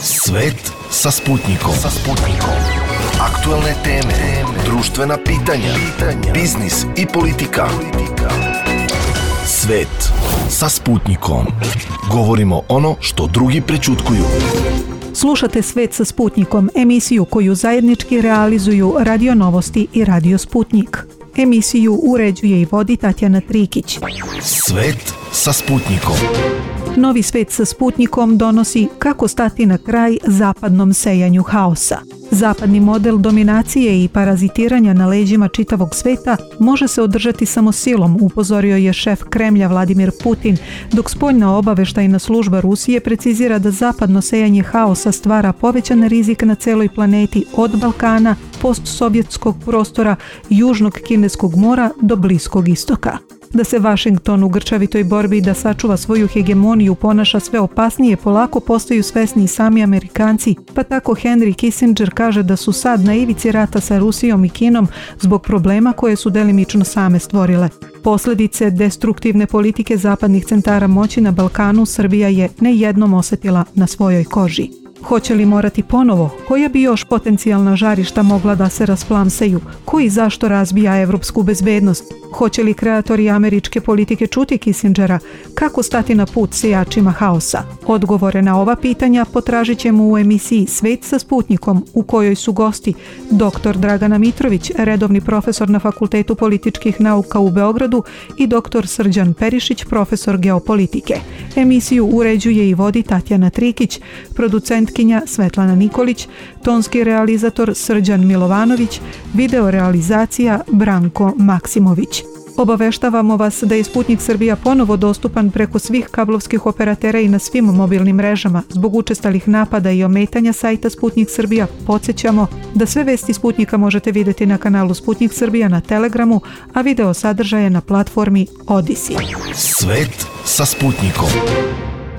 Svet sa Sputnikom. Aktuelne teme, društvena pitanja, biznis i politika. Svet sa Sputnikom. Govorimo ono što drugi prećutkuju. Slušate Svet sa Sputnikom, emisiju koju zajednički realizuju Radio Novosti i Radio Sputnik. Emisiju uređuje i vodi Tatjana Trikić. Svet sa Sputnikom. Novi Svet sa Sputnikom donosi kako stati na kraj zapadnom sejanju haosa. Zapadni model dominacije i parazitiranja na leđima čitavog sveta može se održati samo silom, upozorio je šef Kremlja Vladimir Putin, dok spoljna obaveštajna služba Rusije precizira da zapadno sejanje haosa stvara povećan rizik na celoj planeti od Balkana, postsovjetskog prostora, Južnog Kineskog mora do Bliskog istoka. Da se Vašington u grčavitoj borbi da sačuva svoju hegemoniju ponaša sve opasnije, polako postaju svesni i sami Amerikanci, pa tako Henry Kissinger kaže da su sad na ivici rata sa Rusijom i Kinom zbog problema koje su delimično same stvorile. Posljedice destruktivne politike zapadnih centara moći na Balkanu Srbija je nejednom osjetila na svojoj koži. Hoće li morati ponovo? Koja bi još potencijalna žarišta mogla da se rasplamsaju? Ko i zašto razbija evropsku bezbednost? Hoće li kreatori američke politike čuti Kissingera? Kako stati na put sejačima haosa? Odgovore na ova pitanja potražit ćemo u emisiji Svet sa Sputnikom, u kojoj su gosti dr. Dragana Mitrović, redovni profesor na Fakultetu političkih nauka u Beogradu, i dr. Srđan Perišić, profesor geopolitike. Emisiju uređuje i vodi Tatjana Trikić, producentkinja Svetlana Nikolić, tonski realizator Srđan Milovanović, video realizacija Branko Maksimović. Obaveštavamo vas da je Sputnik Srbija ponovo dostupan preko svih kablovskih operatera i na svim mobilnim mrežama. Zbog učestalih napada i ometanja sajta Sputnik Srbija podsjećamo da sve vesti Sputnika možete vidjeti na kanalu Sputnik Srbija na Telegramu, a video sadržaje na platformi Odisi. Svet sa Sputnikom.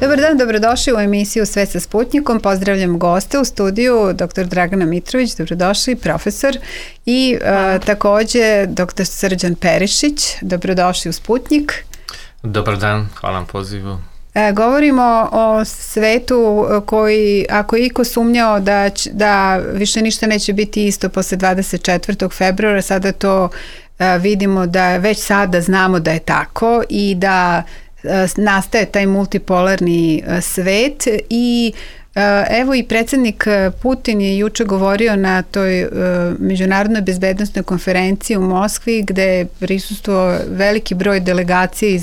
Dobar dan, dobrodošli u emisiju Svet sa Sputnikom. Pozdravljam goste u studiju, dr. Dragana Mitrović, dobrodošli, profesor, i također dr. Srđan Perišić, dobrodošli u Sputnik. Dobar dan, hvala na pozivu. Govorimo o svetu koji, ako je iko sumnjao da više ništa neće biti isto posle 24. februara, sada to vidimo da već sada znamo da je tako i da nastaje taj multipolarni svet. I evo i predsjednik Putin je juče govorio na toj međunarodnoj bezbednosnoj konferenciji u Moskvi, gde je prisustvovao veliki broj delegacija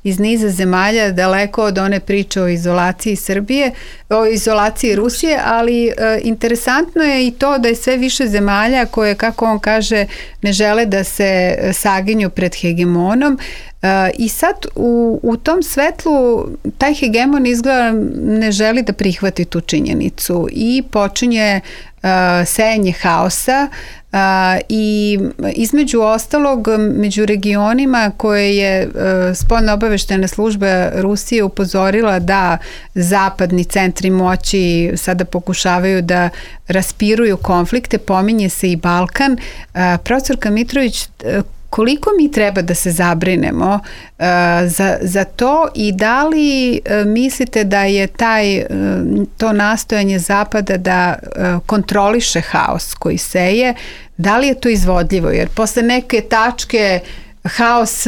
iz niza zemalja, daleko od one priče o izolaciji Srbije, o izolaciji Rusije, ali interesantno je i to da je sve više zemalja koje, kako on kaže, ne žele da se saginju pred hegemonom. I sad u tom svetlu taj hegemon izgleda ne želi da prihvati tu činjenicu i počinje sejanje haosa i između ostalog među regionima koje je spoljno obaveštajna služba Rusije upozorila da zapadni centri moći sada pokušavaju da raspiruju konflikte, pominje se i Balkan. Profesorka Mitrović, koliko mi treba da se zabrinemo za to i da li mislite da je to nastojanje Zapada da kontroliše haos koji seje, da li je to izvodljivo? Jer posle neke tačke haos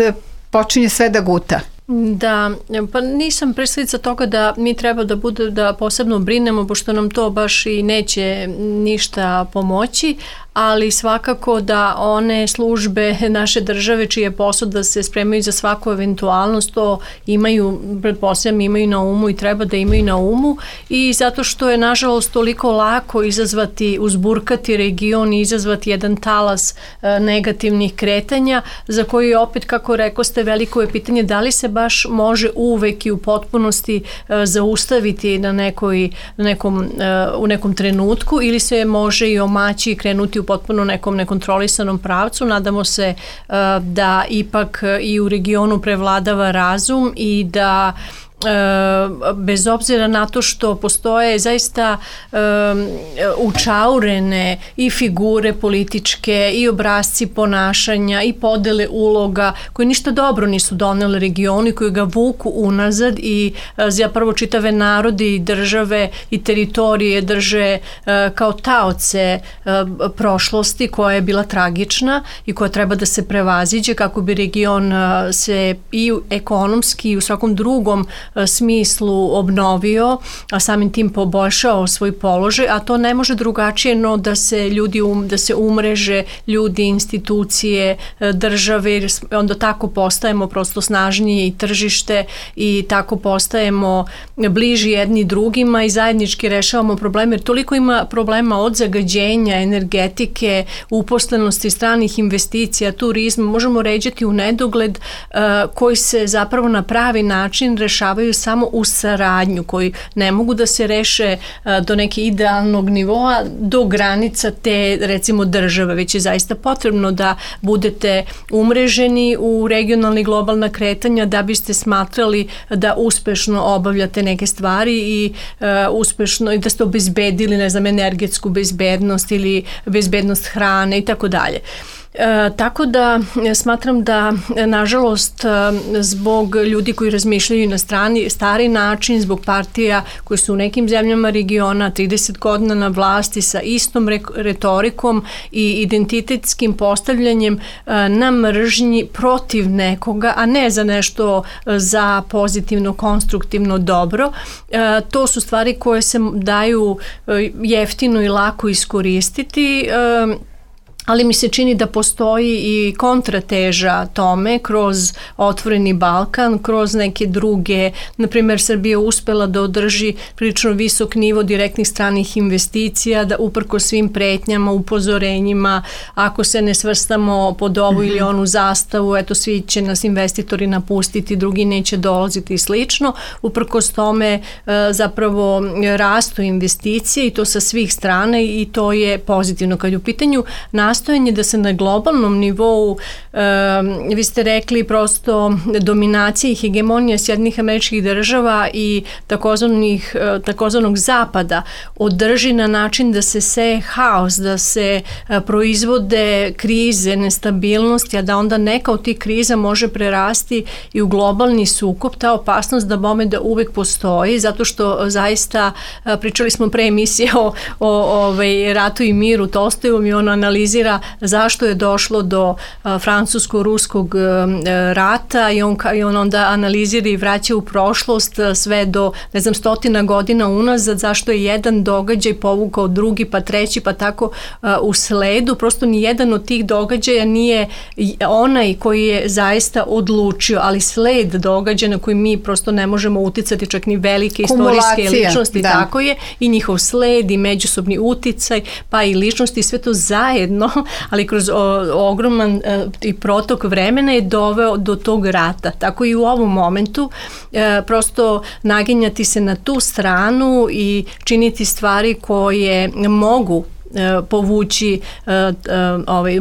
počinje sve da guta. Da, pa nisam pristalica toga da mi treba da posebno brinemo, pošto nam to baš i neće ništa pomoći, ali svakako da one službe naše države čiji je posao da se spremaju za svaku eventualnost, to imaju, pretpostavljam, imaju na umu i treba da imaju na umu, i zato što je nažalost toliko lako uzburkati region i izazvati jedan talas negativnih kretanja, za koji opet, kako rekoste, veliko je pitanje da li se baš može uvek i u potpunosti zaustaviti u nekom trenutku, ili se može i omaći i krenuti u potpuno nekom nekontrolisanom pravcu. Nadamo se da ipak i u regionu prevladava razum i da bez obzira na to što postoje zaista učaurene i figure političke i obrasci ponašanja i podele uloga koji ništa dobro nisu doneli regionu i koji ga vuku unazad i zapravo čitave narodi i države i teritorije drže kao taoce prošlosti koja je bila tragična i koja treba da se prevaziđe kako bi region se i ekonomski i u svakom drugom smislu obnovio, a samim tim poboljšao svoj položaj, a to ne može drugačije no da se ljudi da se umreže ljudi, institucije, države, jer onda tako postajemo prosto snažnije i tržište i tako postajemo bliži jedni drugima i zajednički rešavamo probleme, jer toliko ima problema od zagađenja, energetike, uposlenosti, stranih investicija, turizma, možemo ređati u nedogled koji se zapravo na pravi način rešavaju samo u saradnju, koji ne mogu da se reše do neke idealnog nivoa, do granica te recimo države, već je zaista potrebno da budete umreženi u regionalni globalna kretanja da biste smatrali da uspešno obavljate neke stvari i uspešno i da ste obezbedili, ne znam, energetsku bezbednost ili bezbednost hrane i tako dalje. Tako da smatram da nažalost zbog ljudi koji razmišljaju na stari način, zbog partija koji su u nekim zemljama regiona 30 godina na vlasti sa istom retorikom i identitetskim postavljanjem na mržnji protiv nekoga, a ne za nešto za pozitivno, konstruktivno dobro. To su stvari koje se daju jeftino i lako iskoristiti, ali mi se čini da postoji i kontrateža tome kroz Otvoreni Balkan, kroz neke druge, na primjer Srbija uspela da održi prilično visok nivo direktnih stranih investicija, da uprko svim pretnjama, upozorenjima, ako se ne svrstamo pod ovu ili onu zastavu, eto svi će nas investitori napustiti, drugi neće dolaziti i slično, uprkos tome zapravo rastu investicije i to sa svih strana i to je pozitivno. Kad je u pitanju nastojanje da se na globalnom nivou, vi ste rekli prosto dominacija i hegemonija Sjedinjenih Američkih Država i takozvanog zapada održi na način da se seje haos, da se proizvode krize, nestabilnosti, a da onda neka od tih kriza može prerasti i u globalni sukob, ta opasnost da bome da uvek postoji, zato što zaista pričali smo pre emisije o Ratu i miru Tolstojevom i on analizira zašto je došlo do francusko-ruskog rata i on onda analizira i vraća u prošlost sve do, ne znam, 100 godina unazad, zašto je jedan događaj povukao drugi, pa treći, pa tako u sledu. Prosto ni jedan od tih događaja nije onaj koji je zaista odlučio, ali sled događaja na koji mi prosto ne možemo uticati, čak ni velike istorijske ličnosti, da. Tako je, i njihov sled i međusobni uticaj, pa i ličnosti, sve to zajedno, ali kroz ogroman i protok vremena je doveo do tog rata. Tako i u ovom momentu prosto naginjati se na tu stranu i činiti stvari koje mogu povući,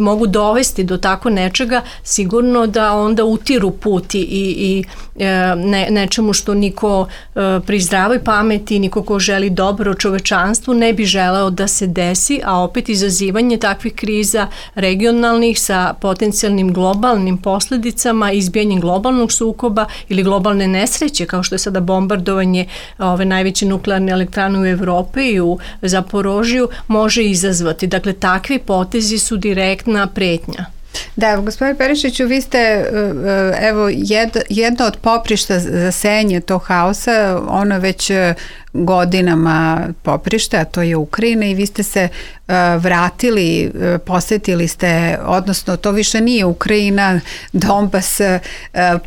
mogu dovesti do tako nečega, sigurno da onda utiru put i nečemu što niko pri zdravoj pameti, niko ko želi dobro čovečanstvu ne bi želeo da se desi, a opet izazivanje takvih kriza regionalnih sa potencijalnim globalnim posledicama, izbijanjem globalnog sukoba ili globalne nesreće, kao što je sada bombardovanje najveće nuklearne elektrane u Evropi i u Zaporožju, može izazvati. Dakle, takvi potezi su direktna pretnja. Da, gospodine Perišiću, vi ste jedno od poprišta za sejanje tog haosa, ono već godinama poprište, a to je Ukrajina, i vi ste se vratili, posetili ste, odnosno to više nije Ukrajina, Donbas,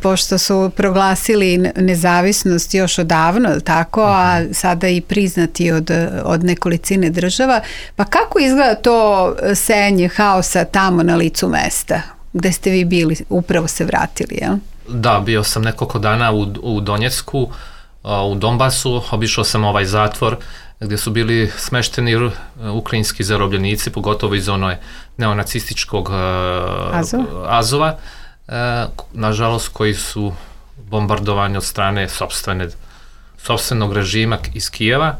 pošto su proglasili nezavisnost još odavno, tako, a sada i priznati od nekolicine država. Pa kako izgleda to sejanje haosa tamo na licu mesta, gde ste vi bili, upravo se vratili, jel? Da, bio sam nekoliko dana u Donjecku, u Donbasu, obišao sam ovaj zatvor gdje su bili smešteni ukrajinski zarobljenici, pogotovo iz onoj neonacističkog Azova, nažalost koji su bombardovanje od strane sopstvenog režima iz Kijeva.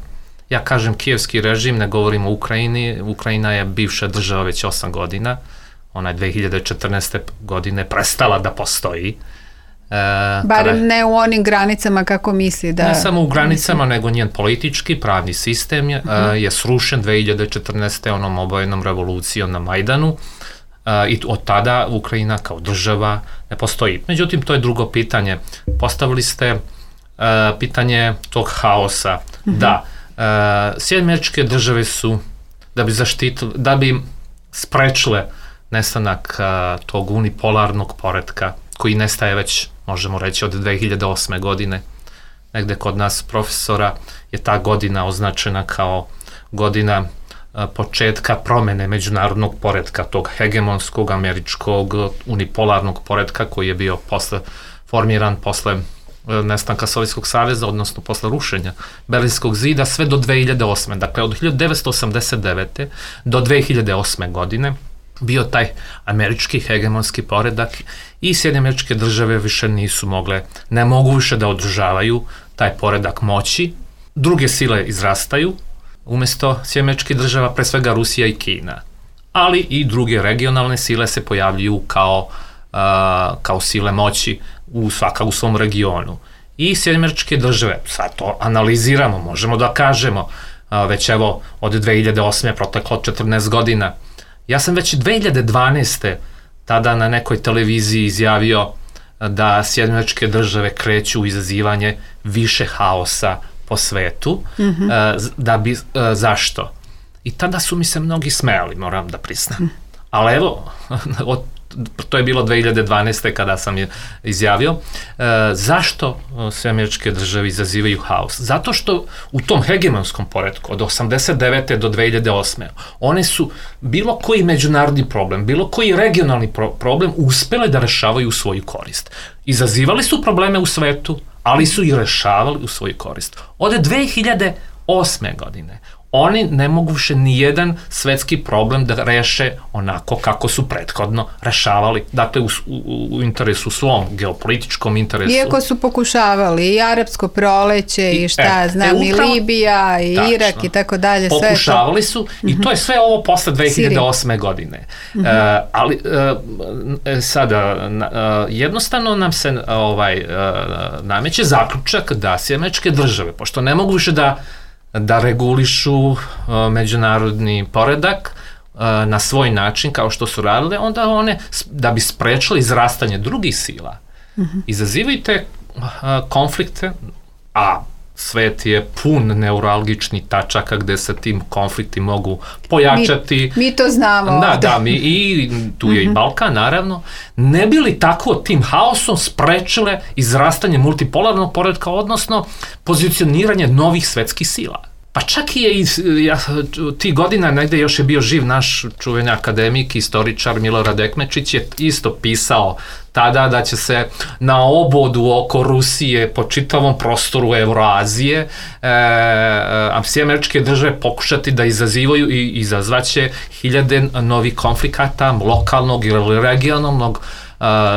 Ja kažem kijevski režim, ne govorim o Ukrajini. Ukrajina je bivša država već 8 godina. Ona je 2014. godine prestala da postoji. Barem ne u onim granicama kako misli da... Ne samo u granicama, nego njen politički, pravni sistem je srušen 2014. onom obojenom revolucijom na Majdanu i od tada Ukrajina kao država ne postoji. Međutim, to je drugo pitanje. Postavili ste pitanje tog haosa. Da, Sjedinjene Američke Države su, da bi sprečile nestanak tog unipolarnog poretka koji nestaje već, možemo reći, od 2008. godine. Negde kod nas profesora je ta godina označena kao godina početka promene međunarodnog poretka, tog hegemonskog američkog unipolarnog poretka koji je bio formiran posle nestanka Sovjetskog saveza, odnosno posle rušenja Berlinskog zida, sve do 2008. Dakle, od 1989. do 2008. godine bio taj američki hegemonski poredak i Sjedinjene Američke Države više ne mogu više da održavaju taj poredak moći. Druge sile izrastaju, umjesto Sjedinjenih Američkih Država, pre svega Rusija i Kina. Ali i druge regionalne sile se pojavljuju kao sile moći svaka u svom regionu. I Sjedinjene Američke Države, sad to analiziramo, možemo da kažemo, već evo od 2008. proteklo 14 godina. Ja sam već 2012. tada na nekoj televiziji izjavio da Sjedinjene Američke Države kreću u izazivanje više haosa po svetu. Zašto? I tada su mi se mnogi smejali, moram da priznam. Ali evo, to je bilo 2012. kada sam je izjavio. Zašto Sjedinjene Američke Države izazivaju haos? Zato što u tom hegemonskom poretku od 89. do 2008. one su bilo koji međunarodni problem, bilo koji regionalni problem uspele da rešavaju u svoju korist. Izazivali su probleme u svetu, ali su i rešavali u svoju korist. Od 2008. godine oni ne mogu više nijedan svetski problem da reše onako kako su prethodno rešavali, dakle u interesu svom, geopolitičkom interesu. Iako su pokušavali i arapsko proleće i i Libija i tačno, Irak i tako dalje. Pokušavali su i to je sve ovo posle 2008. godine. Ali sada jednostavno nam se nameće zaključak da Sjedinjene Američke Države, pošto ne mogu više da regulišu međunarodni poredak na svoj način kao što su radile, onda one, da bi sprečili izrastanje drugih sila, izazivaju te konflikte, a svet je pun neuralgičnih tačaka gde se tim konflikti mogu pojačati. Mi to znamo. I tu je i Balkan, naravno. Ne bi li tako tim haosom sprečile izrastanje multipolarnog poretka, odnosno pozicioniranje novih svetskih sila? Pa čak i ti godina negde još je bio živ naš čuveni akademik, istoričar Milorad Ekmečić je isto pisao tada da će se na obodu oko Rusije po čitavom prostoru Evroazije Sjedinjene Američke Države pokušati da izazivaju i izazvaće hiljade novih konflikata lokalnog ili regionalnog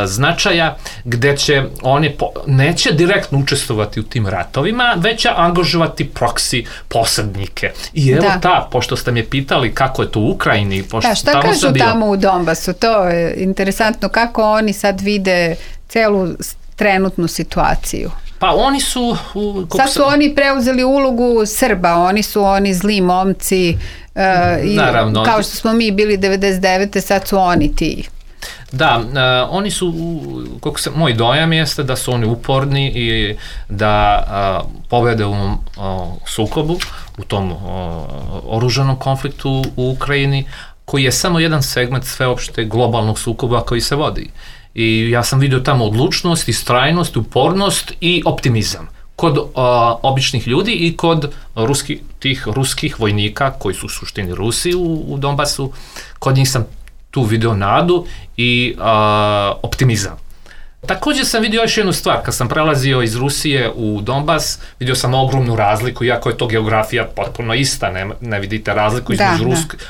značaja, gde će oni neće direktno učestvovati u tim ratovima, već će angažovati proksi posrednike. I evo pošto ste me pitali kako je to u Ukrajini, šta kažu tamo u Donbasu, to je interesantno, kako oni sad vide celu trenutnu situaciju. Pa oni su... Sad su oni preuzeli ulogu Srba, oni su zli momci, naravno, kao što smo mi bili 99. sad su oni ti. Da, oni su, moj dojam jeste da su oni uporni i da pobede u sukobu, u tom oružanom konfliktu u Ukrajini, koji je samo jedan segment sveopšte globalnog sukoba koji se vodi. I ja sam vidio tamo odlučnost, istrajnost, upornost i optimizam kod običnih ljudi i kod tih ruskih vojnika koji su u suštini Rusi u Donbasu. Kod njih sam tu video nadu i optimizam. Također sam vidio još jednu stvar, kad sam prelazio iz Rusije u Donbas, vidio sam ogromnu razliku, iako je to geografija potpuno ista, ne vidite razliku između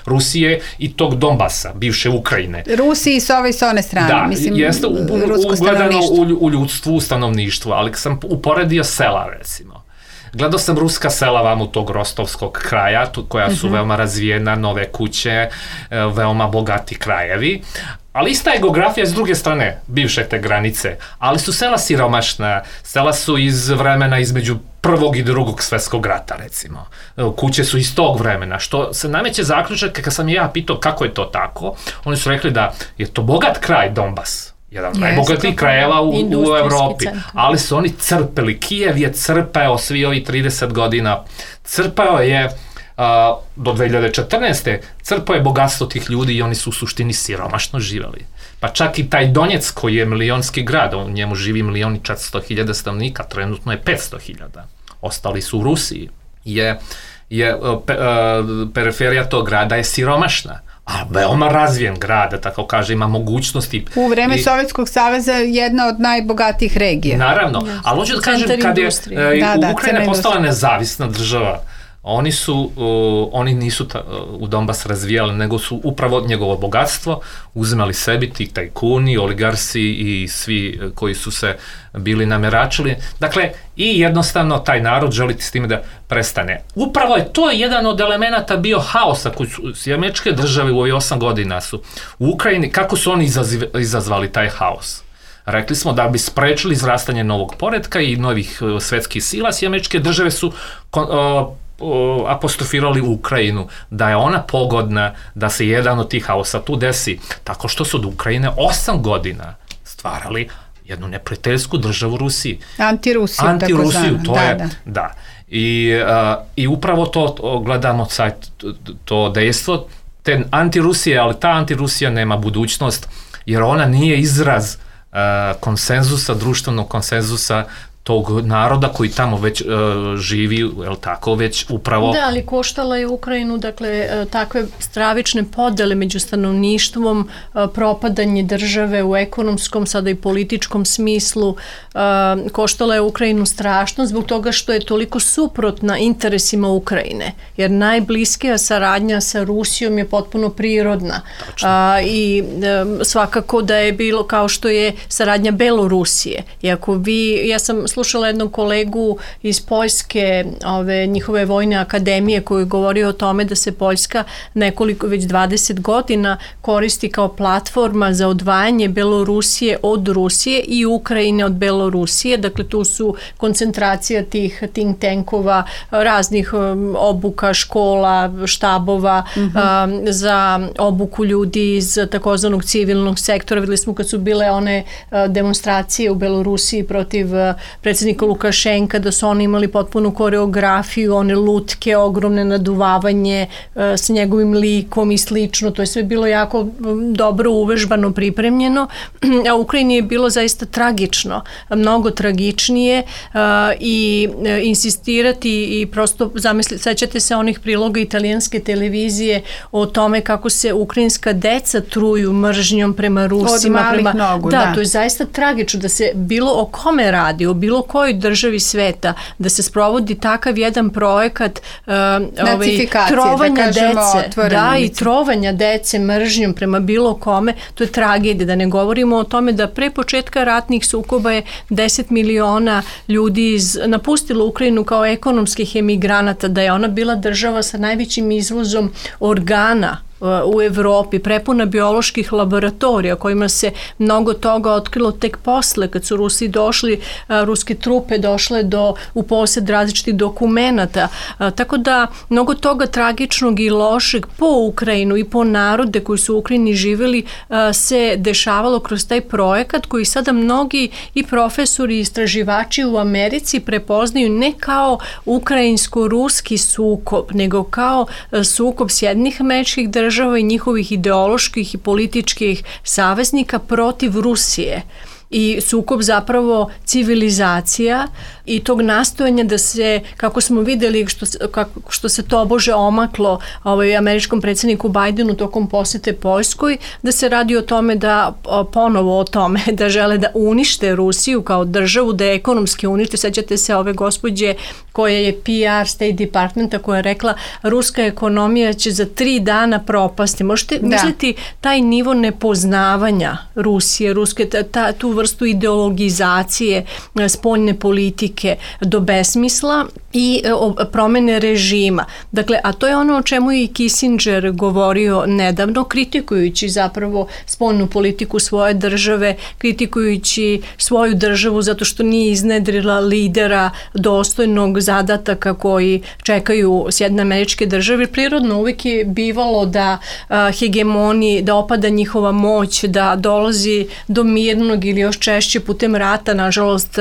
Rusije i tog Donbasa, bivše Ukrajine. Rusiji s ove i s one strane, da, mislim, jeste rusko stanovništvo. U ljudstvu, u stanovništvu, ali sam uporedio sela, recimo. Gledao sam ruska sela vam u tog rostovskog kraja, koja su veoma razvijena, nove kuće, veoma bogati krajevi, ali ista je geografija s druge strane bivše te granice, ali su sela siromašna, sela su iz vremena između Prvog i Drugog svjetskog rata, recimo. Kuće su iz tog vremena, što se nameće zaključak, kad sam ja pitao kako je to tako, oni su rekli da je to bogat kraj Donbas, jedan od najbogatijih krajeva u Evropi, ali su oni crpeli. Kijev je crpeo svi ovi 30 godina, crpeo je do 2014. crpao je bogatstvo tih ljudi i oni su u suštini siromašno živeli. Pa čak i taj Donjec koji je milionski grad, u njemu živi 1.400.000 stanovnika, trenutno je 500.000. Ostali su u Rusiji. Periferija tog grada je siromašna, a veoma razvijen grad, tako kaže, ima mogućnosti. U vreme Sovjetskog saveza jedna od najbogatijih regija. Naravno, ali hoću da kažem, kad je Ukrajina postala nezavisna država, oni nisu u Donbas razvijali, nego su upravo njegovo bogatstvo uzimali sebi, ti tajkuni, oligarsi i svi koji su se bili nameračili. Dakle, i jednostavno taj narod želi s time da prestane. Upravo je to jedan od elemenata bio haosa koji su američke države u ovih 8 godina su u Ukrajini, kako su oni izazvali taj haos. Rekli smo da bi sprečili izrastanje novog poretka i novih svetskih sila, američke države su apostrofirali Ukrajinu, da je ona pogodna da se jedan od tih haosa tu desi, tako što su od Ukrajine 8 godina stvarali jednu neprijateljsku državu Rusiji. Antirusiju, to je, da. I upravo to gledamo sad, to dejstvo, te antirusije, ali ta antirusija nema budućnost, jer ona nije izraz konsenzusa, društvenog konsenzusa tog naroda koji tamo već živi, jel tako, već upravo... Da, ali koštala je Ukrajinu, dakle, takve stravične podele među stanovništvom, propadanje države u ekonomskom, sada i političkom smislu, koštala je Ukrajinu strašno zbog toga što je toliko suprotna interesima Ukrajine, jer najbliskija saradnja sa Rusijom je potpuno prirodna. I svakako da je bilo kao što je saradnja Belorusije. I ako ja sam slušala jednog kolegu iz Poljske, njihove vojne akademije, koji je govorio o tome da se Poljska nekoliko, već 20 godina koristi kao platforma za odvajanje Belorusije od Rusije i Ukrajine od Belorusije. Dakle, tu su koncentracija tih think tankova, raznih obuka, škola, štabova za obuku ljudi iz takozvanog civilnog sektora. Videli smo kad su bile one demonstracije u Belorusiji protiv predsjednika Lukašenka, da su oni imali potpunu koreografiju, one lutke, ogromne naduvavanje s njegovim likom i slično. To je sve bilo jako dobro uvežbano, pripremljeno, a u Ukrajini je bilo zaista tragično, mnogo tragičnije i insistirati i prosto zamisliti, sećate se onih priloga italijanske televizije o tome kako se ukrajinska deca truju mržnjom prema Rusima. Od malih nogu, da. To je zaista tragično da se bilo o kome radi, o bilo kojoj državi sveta, da se sprovodi takav jedan projekat trovanja dece, i trovanja dece mržnjom prema bilo kome, to je tragedija. Da ne govorimo o tome da pre početka ratnih sukoba je 10 miliona ljudi napustilo Ukrajinu kao ekonomskih emigranata, da je ona bila država sa najvećim izvozom organa u Evropi, prepuna bioloških laboratorija kojima se mnogo toga otkrilo tek posle kad su Rusi došli, ruske trupe došle u posjed različitih dokumenata. Tako da mnogo toga tragičnog i lošeg po Ukrajinu i po narode koji su u Ukrajini živjeli se dešavalo kroz taj projekat koji sada mnogi i profesori i istraživači u Americi prepoznaju ne kao ukrajinsko-ruski sukob, nego kao sukob Sjedinjenih Američkih Država i njihovih ideoloških i političkih saveznika protiv Rusije. i sukob zapravo civilizacija i tog nastojanja da se, kako smo videli što se tobože omaklo američkom predsjedniku Bajdenu tokom posete Poljskoj, da se radi o tome da žele da unište Rusiju kao državu, da je ekonomski unište. Sećate se ove gospođe koja je PR State Departmenta koja je rekla ruska ekonomija će za 3 dana propasti. Možete misliti taj nivo nepoznavanja Rusije, tu vrstu ideologizacije spoljne politike do besmisla i promene režima. Dakle, a to je ono o čemu je i Kissinger govorio nedavno, kritikujući zapravo spoljnu politiku svoje države, kritikujući svoju državu zato što nije iznedrila lidera dostojnog zadataka koji čekaju Sjedinjene Američke Države. Prirodno uvijek je bivalo da hegemoni, da opada njihova moć, da dolazi do mirnog ili još češće putem rata, nažalost,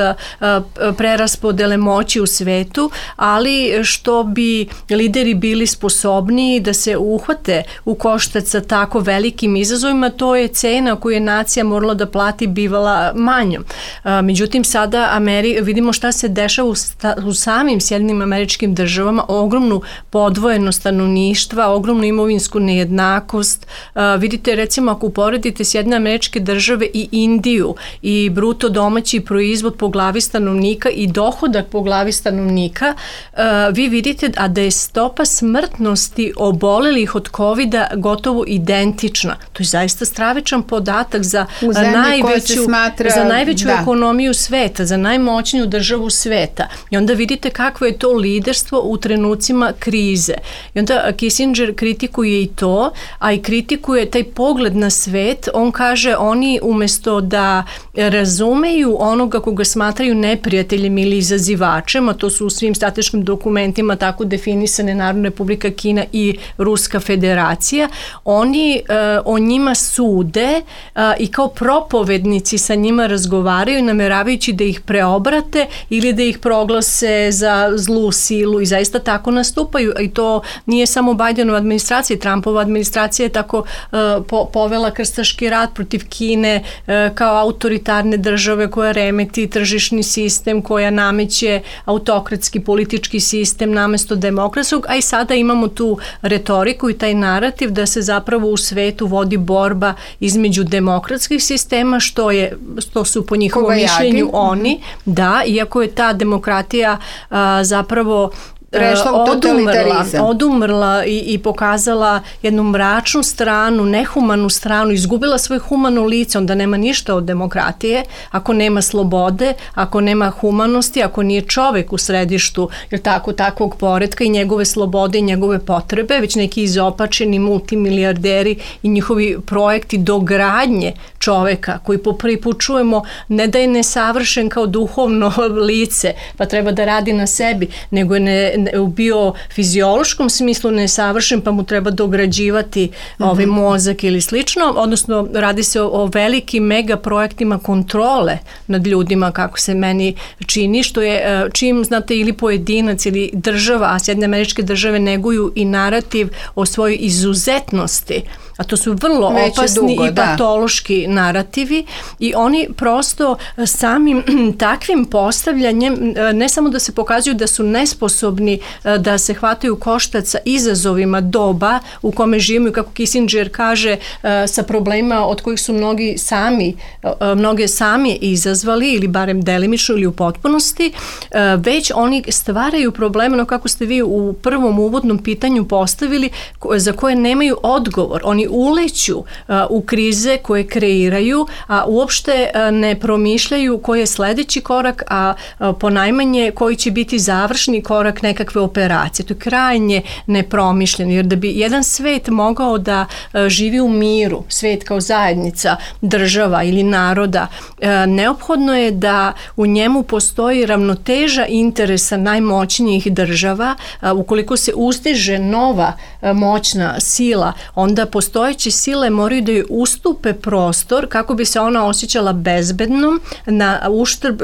preraspodele moći u svetu, ali što bi lideri bili sposobniji da se uhvate u koštac sa tako velikim izazovima, to je cena koju je nacija morala da plati bivala manjom. Međutim, sada vidimo šta se dešava u samim Sjedinjenim Američkim Državama, ogromnu podvojenost stanovništva, ogromnu imovinsku nejednakost. Vidite, recimo, ako uporedite Sjedinjene Američke Države i Indiju i bruto domaći proizvod po glavi stanovnika i dohodak po glavi stanovnika, vi vidite da je stopa smrtnosti obolelih od COVID-a gotovo identična. To je zaista stravičan podatak za najveću ekonomiju sveta, za najmoćniju državu sveta. I onda vidite kakvo je to liderstvo u trenucima krize. I onda Kissinger kritikuje i to, a i kritikuje taj pogled na svet. On kaže, oni umjesto da razumeju onoga koga smatraju neprijateljem ili izazivačem, a to su u svim strateškim dokumentima tako definisane Narodna Republika Kina i Ruska Federacija, oni o njima sude i kao propovednici sa njima razgovaraju, nameravajući da ih preobrate ili da ih proglase za zlu silu i zaista tako nastupaju. I to nije samo Bajdenova administracija, Trumpova administracija je tako povela krstaški rat protiv Kine kao autoritarne države koja remeti tržišni sistem, koja nameće autokratski politički sistem namjesto demokratskog, a i sada imamo tu retoriku i taj narativ da se zapravo u svetu vodi borba između demokratskih sistema, što su po njihovom mišljenju oni, da, iako je ta demokratija zapravo odumrla i pokazala jednu mračnu stranu, nehumanu stranu, izgubila svoje humano lice, onda nema ništa od demokratije, ako nema slobode, ako nema humanosti, ako nije čovek u središtu takvog poretka i njegove slobode i njegove potrebe, već neki izopačeni multimilijarderi i njihovi projekti dogradnje čoveka, koji po prvi put čujemo ne da je nesavršen kao duhovno lice, pa treba da radi na sebi, nego je u biofiziološkom smislu nesavršen, pa mu treba dograđivati mozak ili slično, odnosno radi se o velikim mega projektima kontrole nad ljudima, kako se meni čini, što je čim, znate, ili pojedinac ili država, a Sjedinjene Američke Države neguju i narativ o svojoj izuzetnosti, a to su vrlo opasni i patološki narativi i oni prosto samim takvim postavljanjem ne samo da se pokazuju da su nesposobni da se hvataju koštac sa izazovima doba u kome živimo i kako Kissinger kaže sa problemima od kojih su mnoge sami izazvali ili barem delimično ili u potpunosti, već oni stvaraju probleme, no kako ste vi u prvom uvodnom pitanju postavili, za koje nemaju odgovor. Oni uleću u krize koje kreiraju, a uopšte ne promišljaju koji je sljedeći korak, a ponajmanje koji će biti završni korak nekakve operacije. To je krajnje nepromišljeno, jer da bi jedan svet mogao da živi u miru, svet kao zajednica, država ili naroda, neophodno je da u njemu postoji ravnoteža interesa najmoćnijih država. Ukoliko se uzdiže nova moćna sila, onda postojeće sile moraju da joj ustupe prostor kako bi se ona osjećala bezbednom na uštrb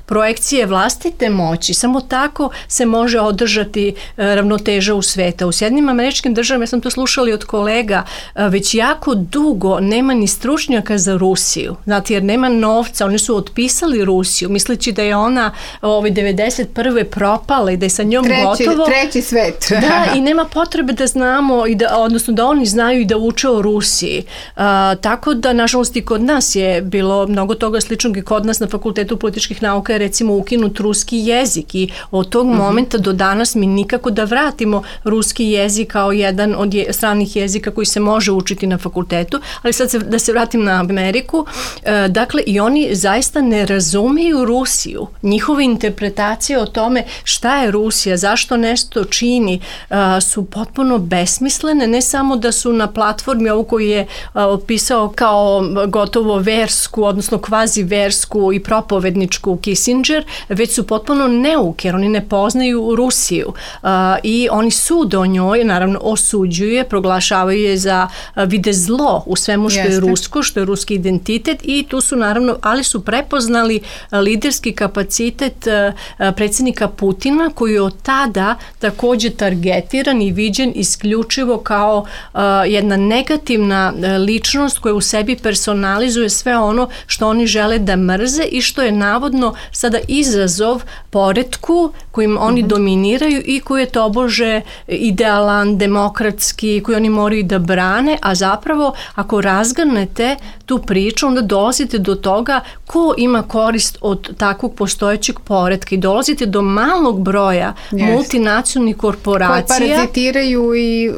projekcije vlastite moći. Samo tako se može održati ravnoteža u sveta. U Sjedinjenim Američkim Državama, ja sam to slušala od kolega, već jako dugo nema ni stručnjaka za Rusiju. Znate, jer nema novca, oni su otpisali Rusiju, misleći da je ona 91. propala i da je sa njom gotovo. Treći svet. Da, i nema potrebe da znamo, odnosno da oni znaju i da uče o Rusiji. Tako da, nažalost, i kod nas je bilo mnogo toga sličnog i kod nas na Fakultetu političkih nauka je recimo ukinut ruski jezik i od tog momenta do danas mi nikako da vratimo ruski jezik kao jedan od stranih jezika koji se može učiti na fakultetu, ali sad da se vratim na Ameriku, dakle i oni zaista ne razumeju Rusiju. Njihove interpretacije o tome šta je Rusija, zašto nešto čini su potpuno besmislene, ne samo da su na platformi ovu koju je opisao kao gotovo versku, odnosno kvazi versku i propovedničku Kissinger, već su potpuno neuke, jer oni ne poznaju Rusiju i oni sude o njoj, naravno osuđuje, proglašavaju je za vide zlo u svemu što je rusko, što je ruski identitet i tu su naravno, ali su prepoznali liderski kapacitet predsjednika Putina koji je od tada također targetiran i viđen isključivo kao jedna negativna ličnost koja u sebi personalizuje sve ono što oni žele da mrze i što je navodno sada izazov poretku kojim oni dominiraju i koji je tobože idealan, demokratski, koji oni moraju da brane, a zapravo ako razgrnete tu priču, onda dolazite do toga ko ima korist od takvog postojećeg poretka i dolazite do malog broja multinacionalnih korporacija koji parazitiraju i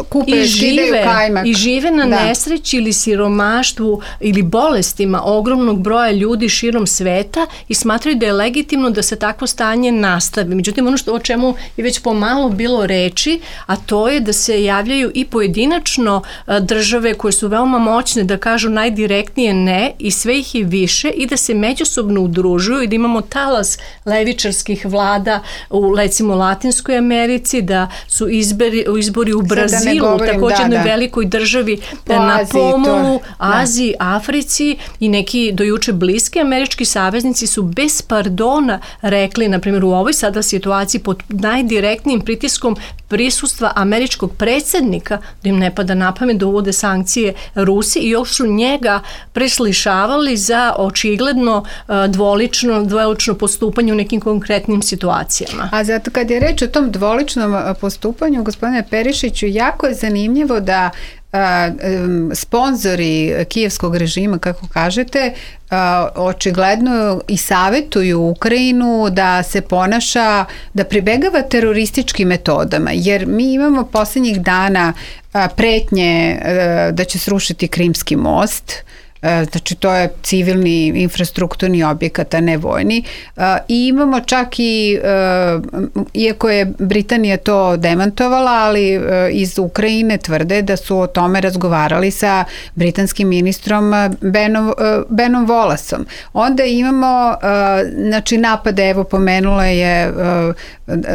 kupe, skidaju kajmak. I žive na nesreći ili siromaštvu ili bolestima ogromnog broja ljudi širom sveta i smatraju da je legitimno da se takvo stanje nastavi. Međutim, ono o čemu je već pomalo bilo reči, a to je da se javljaju i pojedinačno države koje su veoma moćne da kažu najdirektnije ne i sve ih je više i da se međusobno udružuju i da imamo talas levičarskih vlada u recimo Latinskoj Americi, da su izbori u Brazilu, također jednoj velikoj državi na pomolu, Aziji, Africi i neki dojuče bliski američki saveznici su bez pardona rekli, na primjer u ovoj sada situaciji pod najdirektnijim pritiskom prisustva američkog predsjednika, da im ne pada na pamet da uvode sankcije Rusiji i još su njega preslišavali za očigledno dvolično postupanje u nekim konkretnim situacijama. A zato kad je reč o tom dvoličnom postupanju, gospodine Perišiću, jako je zanimljivo da sponzori kijevskog režima, kako kažete, očigledno i savjetuju Ukrajinu da se ponaša, da pribegava terorističkim metodama, jer mi imamo posljednjih dana pretnje da će srušiti Krimski most. Znači to je civilni infrastrukturni objekat, a ne vojni. I imamo čak i, iako je Britanija to demantovala, ali iz Ukrajine tvrde da su o tome razgovarali sa britanskim ministrom Benom Wallaceom. Onda imamo znači napade, evo pomenula je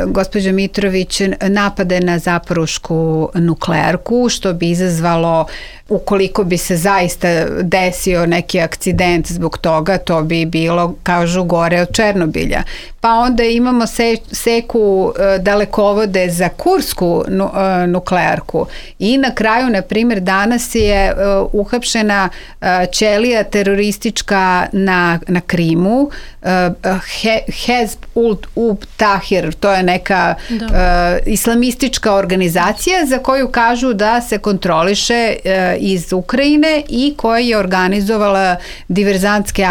gospođa Mitrović, napade na Zaporošku nuklearku, što bi izazvalo, ukoliko bi se zaista desio neki akcident zbog toga, to bi bilo, kažu, gore od Černobilja. Pa onda imamo seku dalekovode za Kursku nuklearku i na kraju, na primjer, danas je uhapšena ćelija teroristička na Krimu, Hezb ul Tahrir, to je neka islamistička organizacija za koju kažu da se kontroliše iz Ukrajine i koja je organizovala diverzantske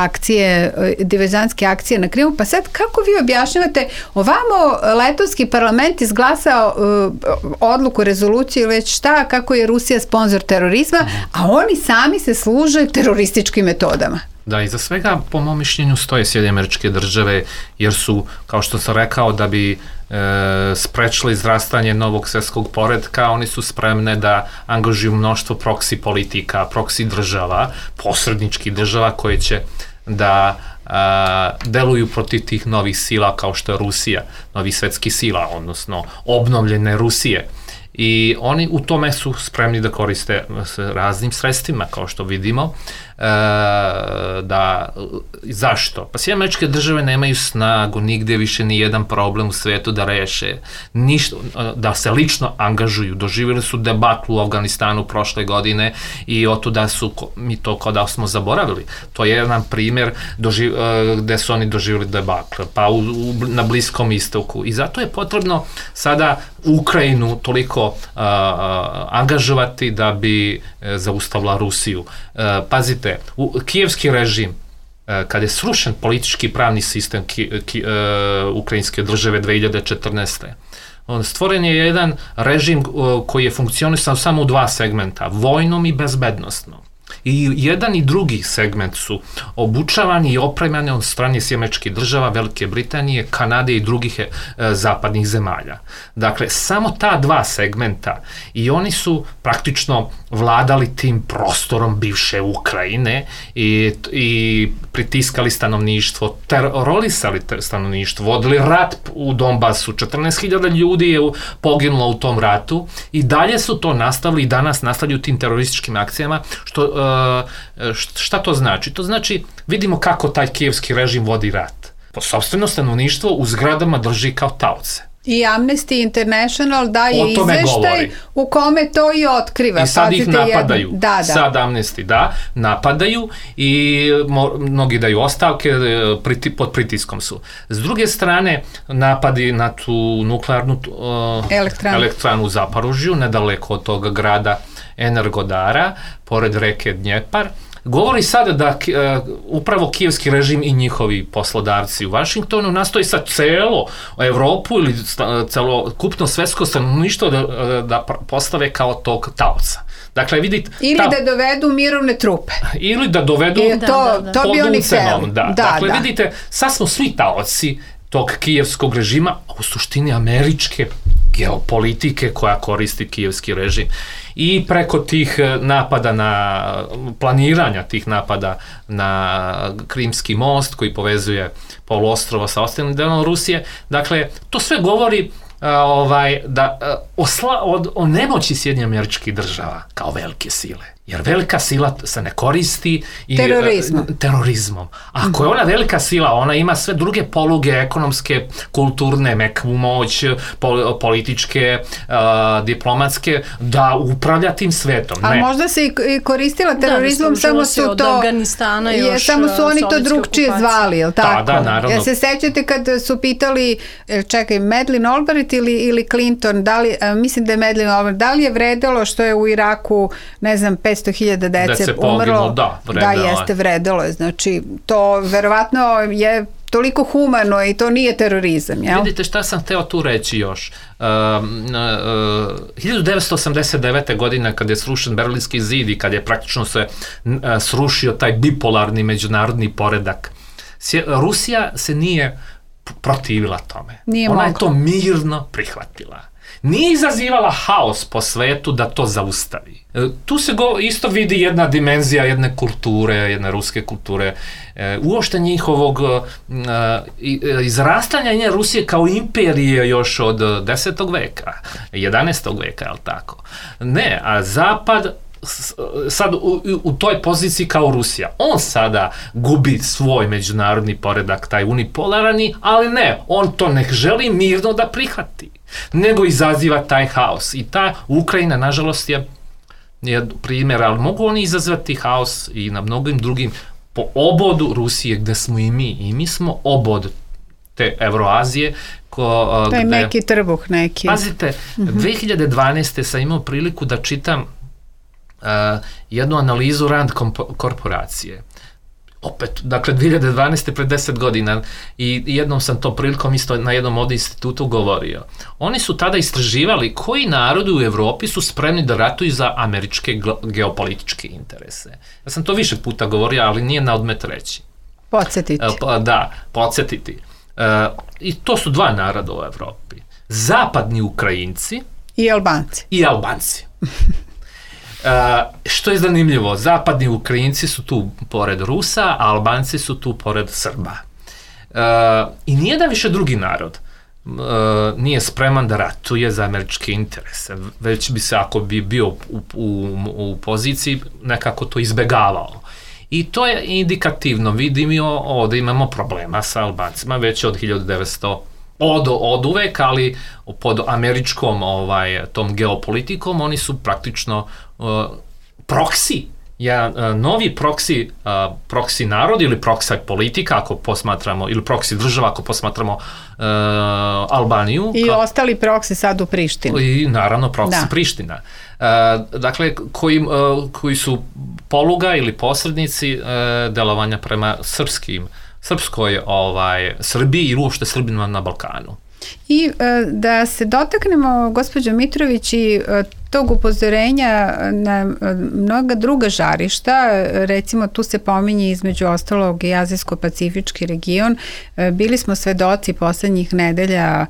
akcije na Krimu. Pa sad, kako vi objašnjavate, ovamo letonski parlament izglasao odluku, rezoluciju ili već šta, kako je Rusija sponzor terorizma, a oni sami se služe terorističkim metodama. Da, iza svega, po mom mišljenju, stoje Sjedinjene Američke Države, jer su, kao što sam rekao, da bi sprečili izrastanje novog svjetskog poretka, oni su spremne da angažuju mnoštvo proksi politika, proksi država, posredničkih država koje će da deluju protiv tih novih sila kao što je Rusija, novih svetskih sila, odnosno obnovljene Rusije. I oni u tome su spremni da koriste raznim sredstvima, kao što vidimo. Zašto? Pa Sjedinjene Američke Države nemaju snagu, nigde više ni jedan problem u svetu da reše, ništa, da se lično angažuju. Doživjeli su debakl u Afganistanu prošle godine i otuda su, mi to kao da smo zaboravili. To je jedan primjer gde su oni doživjeli debakl, pa na Bliskom istoku. I zato je potrebno sada Ukrajinu toliko angažovati da bi zaustavila Rusiju. Pazite, kijevski režim, kad je srušen politički pravni sistem ukrajinske države 2014. Stvoren je jedan režim koji je funkcionisao samo u dva segmenta, vojnom i bezbednostnom. I jedan i drugi segment su obučavani i opremani od strane Sjedinjenih Američkih Država, Velike Britanije, Kanade i drugih zapadnih zemalja. Dakle, samo ta dva segmenta i oni su praktično vladali tim prostorom bivše Ukrajine i pritiskali stanovništvo, terorisali stanovništvo, vodili rat u Donbasu, 14.000 ljudi je poginulo u tom ratu i dalje su to nastavili i danas nastavljaju tim terorističkim akcijama, šta to znači? To znači, vidimo kako taj kijevski režim vodi rat. Sopstveno stanovništvo u zgradama drži kao taoce. I Amnesty International daje izveštaj u kome to i otkriva. I sad ih napadaju. Sad Amnesty napadaju i mnogi daju ostavke, pod pritiskom su. S druge strane, napadi na tu nuklearnu elektranu u Zaporožju, nedaleko od toga grada Energodara, pored reke Dnjepar. Govori sada da upravo kijevski režim i njihovi poslodavci u Vašingtonu nastoji sad celo Evropu ili celokupno svetsko stanovništvo da postave kao tog taoca. Dakle, vidite... Ili da dovedu mirovne trupe. Ili da dovedu pod ucenom. Dakle, vidite, sad smo svi taoci tog kijevskog režima, a u suštini američke geopolitike koja koristi kijevski režim. I preko tih napada planiranja tih napada na Krimski most koji povezuje poluostrvo sa ostalim delom Rusije. Dakle, to sve govori o nemoći Sjedinjenih Američkih Država kao velike sile. Jer velika sila se ne koristi terorizmom. Ako je ona velika sila, ona ima sve druge poluge, ekonomske, kulturne, meku moć, političke, diplomatske, da upravlja tim svetom. A možda se i koristila terorizmom, samo su to... Samo su oni to drugčije zvali, je li tako? Da, naravno. Jel se sećate kad su pitali, Madeleine Albright ili Clinton, mislim da je Madeleine Albright, da li je vredelo što je u Iraku, ne znam, 500.000 dece umrlo? Da, jeste, vredelo je. Znači, to verovatno je toliko humano i to nije terorizam. Jel? Vidite šta sam hteo tu reći još. 1989. godine kad je srušen Berlinski zid i kad je praktično se srušio taj bipolarni međunarodni poredak, Rusija se nije protivila tome. Ona je to mirno prihvatila. Nije izazivala haos po svetu da to zaustavi. Tu se isto vidi jedna dimenzija jedne kulture, jedne ruske kulture, uopšte njihovog izrastanja Rusije kao imperije još od 10. veka, 11. veka, je li tako? Ne, a Zapad sad u toj poziciji kao Rusija. On sada gubi svoj međunarodni poredak, taj unipolarni, ali ne, on to ne želi mirno da prihvati, nego izaziva taj haos. I ta Ukrajina, nažalost, je primjer, ali mogu oni izazvati haos i na mnogim drugim po obodu Rusije, gde smo i mi. I mi smo obod te Evroazije. To je neki trbuh neki. Pazite, 2012. sam imao priliku da čitam jednu analizu Rand korporacije. Opet, dakle, 2012. pred 10 godina i jednom sam to prilikom isto na jednom ovdje institutu govorio. Oni su tada istraživali koji narodi u Evropi su spremni da ratuju za američke geopolitičke interese. Ja sam to više puta govorio, ali nije na odmet reći. Podsjetiti. Da, podsjetiti. I to su dva naroda u Evropi. Zapadni Ukrajinci i Albanci. Što je zanimljivo, zapadni Ukrajinci su tu pored Rusa, a Albanci su tu pored Srba. I nijedan više drugi narod nije spreman da ratuje za američke interese, već bi se, ako bi bio u poziciji, nekako to izbegavao. I to je indikativno, vidimo ovde imamo problema sa Albancima već od 1900, od uvek, ali pod američkom tom geopolitikom oni su praktično proksi, novi proksi narod ili proksi politika ako posmatramo, ili proksi država ako posmatramo Albaniju. I ostali proksi sad u Prištini. I naravno proksi Priština. Dakle, koji su poluga ili posrednici delovanja prema srpskoj Srbiji i uopšte Srbima na Balkanu. I da se dotaknemo, gospođo Mitrović, i tog upozorenja na mnoga druga žarišta, recimo tu se pominje između ostalog i Azijsko-Pacifički region. Bili smo svedoci poslednjih nedelja,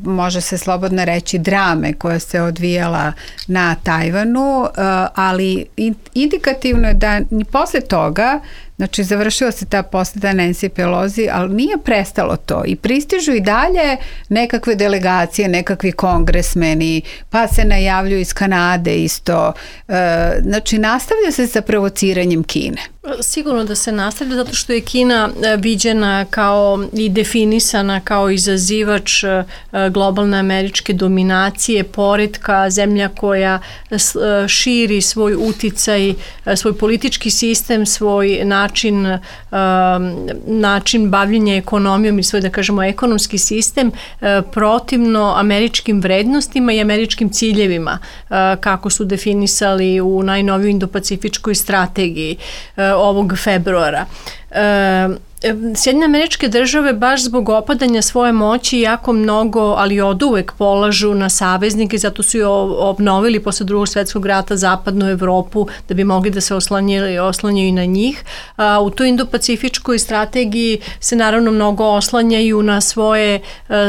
može se slobodno reći, drame koja se odvijala na Tajvanu, ali indikativno je da ni posle toga, znači završila se ta poseta Nancy Pelosi, ali nije prestalo to i pristižu i dalje nekakve delegacije, nekakvi kongresmeni, pa se najavljuju iz Kanade isto. Znači nastavlja se sa provociranjem Kine. Sigurno da se nastavlja, zato što je Kina viđena kao i definisana kao izazivač globalne američke dominacije, poretka, zemlja koja širi svoj uticaj, svoj politički sistem, svoj način bavljenja ekonomijom i svoj, da kažemo, ekonomski sistem protivno američkim vrednostima i američkim ciljevima, kako su definisali u najnovijoj Indo-Pacifičkoj strategiji ovog februara. Sjedinjene Američke Države baš zbog opadanja svoje moći jako mnogo, ali oduvek polažu na saveznike, zato su i obnovili posle Drugog svjetskog rata zapadnu Evropu da bi mogli da se oslanjaju i na njih. U toj Indo-Pacifičkoj strategiji se naravno mnogo oslanjaju na svoje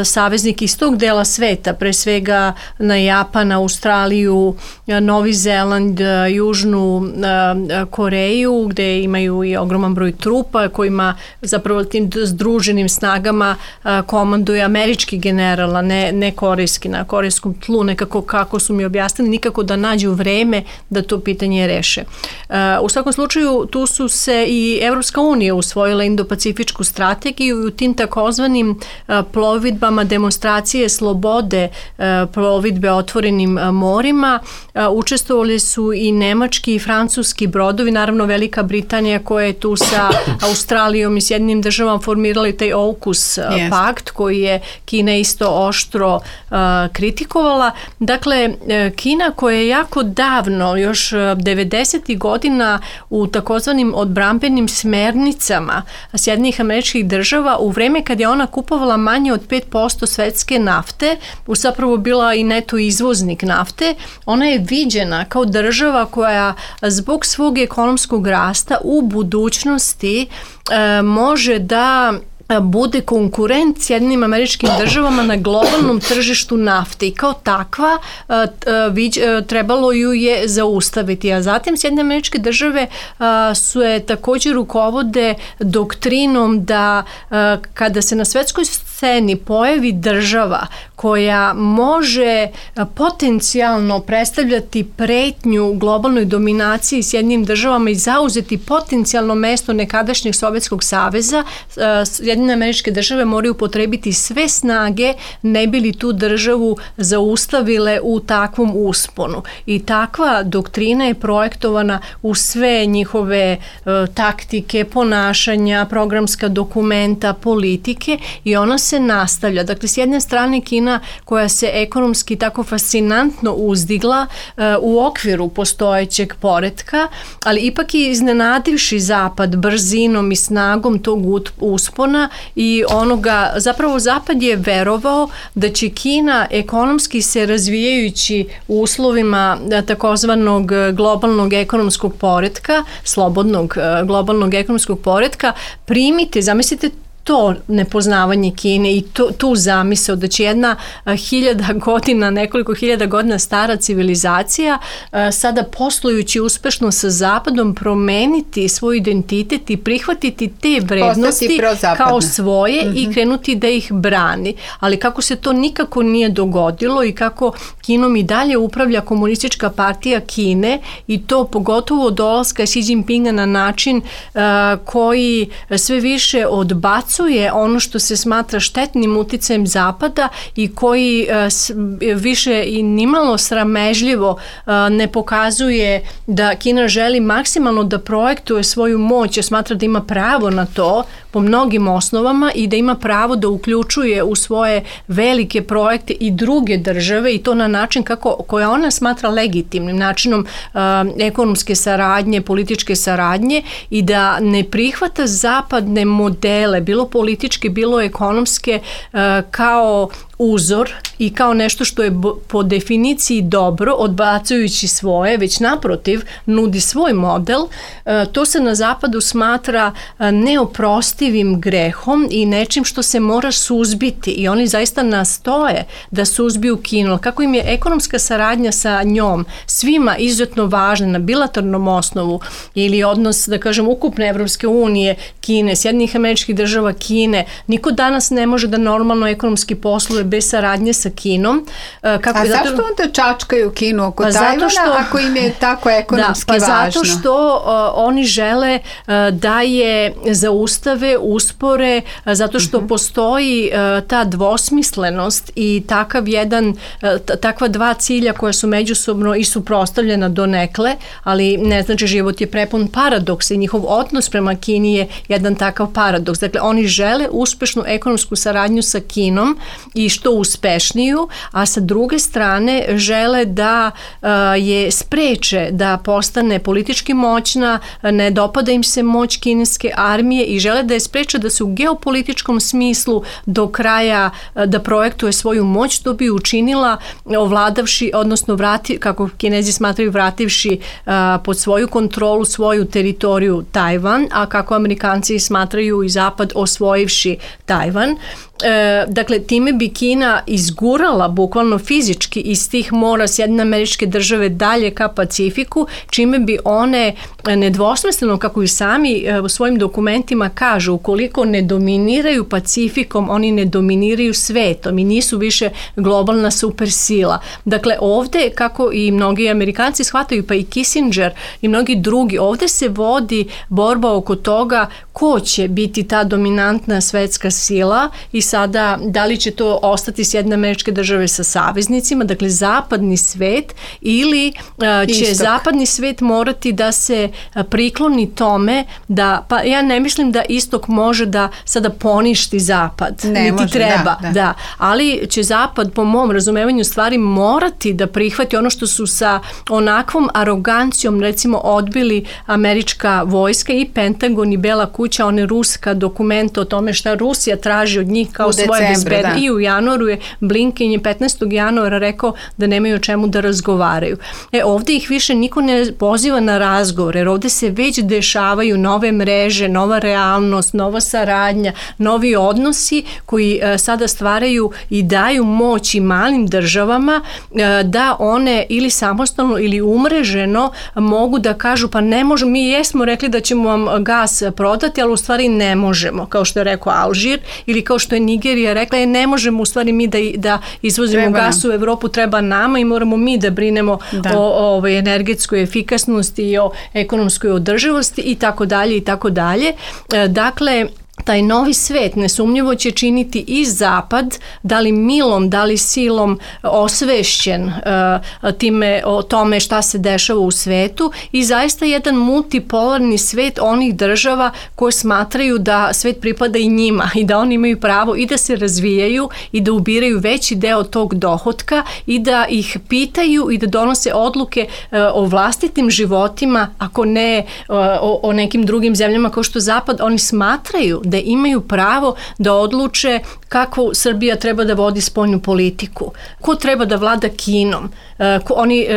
saveznike iz tog dela sveta, pre svega na Japan, Australiju, Novi Zeland, Južnu Koreju, gde imaju i ogroman broj trupa kojima zapravo tim združenim snagama komanduje američki general, a ne korejski, na korejskom tlu, nekako, kako su mi objasnili, nikako da nađu vreme da to pitanje reše. U svakom slučaju, tu su se i Evropska unija usvojila Indo-Pacifičku strategiju i u tim takozvanim plovidbama demonstracije slobode plovidbe otvorenim morima učestvovali su i nemački i francuski brodovi, naravno Velika Britanija koja je tu sa Australijom i Sjedinjenim Državama formirali taj AUKUS pakt koji je Kina isto oštro kritikovala. Dakle, Kina koja je jako davno, još 90. godina u takozvanim odbrambenim smernicama Sjedinjenih Američkih Država, u vreme kad je ona kupovala manje od 5% svetske nafte, zapravo bila i neto izvoznik nafte, ona je viđena kao država koja zbog svog ekonomskog rasta u budućnosti može da bude konkurent Sjedinjenim Američkim Državama na globalnom tržištu nafte i kao takva trebalo ju je zaustaviti. A zatim Sjedinjene Američke Države su je također rukovode doktrinom da kada se na svetskoj sceni pojavi država koja može potencijalno predstavljati pretnju globalnoj dominaciji Sjedinjenim Državama i zauzeti potencijalno mesto nekadašnjeg Sovjetskog saveza, Sjedinjene Američke Države moraju upotrebiti sve snage ne bi li tu državu zaustavile u takvom usponu. I takva doktrina je projektovana u sve njihove taktike, ponašanja, programska dokumenta, politike i ona se nastavlja. Dakle, s jedne strane Kina koja se ekonomski tako fascinantno uzdigla u okviru postojećeg poretka, ali ipak je iznenadivši Zapad brzinom i snagom tog uspona i onoga, zapravo Zapad je verovao da će Kina ekonomski se razvijajući u uslovima takozvanog globalnog ekonomskog poretka, slobodnog globalnog ekonomskog poretka, primiti, zamislite to nepoznavanje Kine i tu zamisao da će jedna 1000 godina, nekoliko 1000 godina stara civilizacija sada poslujući uspešno sa Zapadom promeniti svoj identitet i prihvatiti te vrednosti kao svoje i krenuti da ih brani. Ali kako se to nikako nije dogodilo i kako Kinom i dalje upravlja Komunistička partija Kine i to pogotovo od dolaska Xi Jinpinga na način koji sve više odbacuje ono što se smatra štetnim uticajem Zapada i koji više i nimalo sramežljivo ne pokazuje da Kina želi maksimalno da projektuje svoju moć, jer smatra da ima pravo na to po mnogim osnovama i da ima pravo da uključuje u svoje velike projekte i druge države i to na način koja ona smatra legitimnim načinom ekonomske saradnje, političke saradnje i da ne prihvata zapadne modele, bilo političke, bilo ekonomske, kao uzor i kao nešto što je po definiciji dobro, odbacujući svoje, već naprotiv nudi svoj model. To se na Zapadu smatra neoprostivim grehom i nečim što se mora suzbiti i oni zaista nastoje da suzbiju Kinu. Kako im je ekonomska saradnja sa njom svima izuzetno važna na bilateralnom osnovu ili odnos, da kažem, ukupne Evropske unije, Kine, Sjedinjenih Američkih Država, Kine, niko danas ne može da normalno ekonomski posluje bez saradnje sa Kinom. Zašto onda čačkaju Kinu oko Tajvana ako im je tako ekonomski važno? Zato što oni žele da je zaustave, uspore, zato što postoji ta dvosmislenost i takva dva cilja koja su međusobno i suprotstavljena donekle, ali ne znači život je prepun paradoksa i njihov odnos prema Kini je jedan takav paradoks. Dakle, oni žele uspešnu ekonomsku saradnju sa Kinom i što uspešniju, a sa druge strane žele da je spreče da postane politički moćna, ne dopada im se moć kineske armije i žele da je spreče da se u geopolitičkom smislu do kraja da projektuje svoju moć, to bi učinila ovladavši, odnosno kako Kinezi smatraju, vrativši pod svoju kontrolu svoju teritoriju Tajvan, a kako Amerikanci smatraju i Zapad osvojivši Tajvan. Dakle, time bi Kina izgurala bukvalno fizički iz tih mora Sjedinjene Američke Države dalje ka Pacifiku, čime bi one nedvosmisleno, kako i sami u svojim dokumentima kažu, ukoliko ne dominiraju Pacifikom, oni ne dominiraju svetom i nisu više globalna supersila. Dakle, ovde, kako i mnogi Amerikanci shvataju, pa i Kissinger i mnogi drugi, ovde se vodi borba oko toga ko će biti ta dominantna svetska sila i sada da li će to ostati Sjedinjene Američke Države sa saveznicima, dakle zapadni svet, ili će zapadni svet morati da se prikloni tome da, pa ja ne mislim da istok može da sada poništi zapad, niti treba, da, ali će zapad po mom razumevanju stvari morati da prihvati ono što su sa onakvom arogancijom recimo odbili američka vojska i Pentagon i Bela kuća, one ruska dokumenta o tome šta Rusija traži od njih kao svoje bezbednosti. I u januaru je Blinken je 15. januara rekao da nemaju o čemu da razgovaraju. Ovdje ih više niko ne poziva na razgovor, jer ovdje se već dešavaju nove mreže, nova realnost, nova saradnja, novi odnosi koji sada stvaraju i daju moć i malim državama da one ili samostalno ili umreženo mogu da kažu pa ne možemo, mi jesmo rekli da ćemo vam gas prodati, ali u stvari ne možemo, kao što je rekao Alžir ili kao što je Nigerija rekla, ne možemo u stvari mi da izvozimo gas u Evropu, treba nama i moramo mi da brinemo o energetskoj efikasnosti i o ekonomskoj održivosti i tako dalje i tako dalje. Dakle, taj novi svet nesumnjivo će činiti i zapad, da li milom, da li silom osvešćen time o tome šta se dešava u svetu i zaista jedan multipolarni svet onih država koje smatraju da svet pripada i njima i da oni imaju pravo i da se razvijaju i da ubiraju veći deo tog dohotka i da ih pitaju i da donose odluke o vlastitim životima, ako ne o nekim drugim zemljama kao što zapad, oni smatraju da imaju pravo da odluče kako Srbija treba da vodi spoljnu politiku, ko treba da vlada Kinom. Oni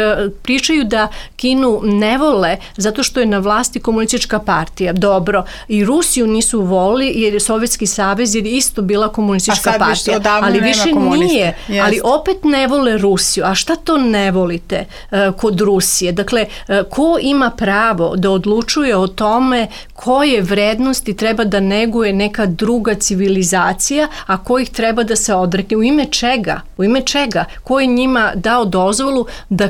pričaju da Kinu ne vole zato što je na vlasti komunistička partija. Dobro, i Rusiju nisu volili jer je Sovjetski savez je isto bila komunistička partija, ali više nije. Ali opet ne vole Rusiju. A šta to ne volite kod Rusije? Dakle, ko ima pravo da odlučuje o tome koje vrednosti treba da neguje neka druga civilizacija, a kojih treba da se odrekne? U ime čega? U ime čega? Ko je njima dao dozvolu da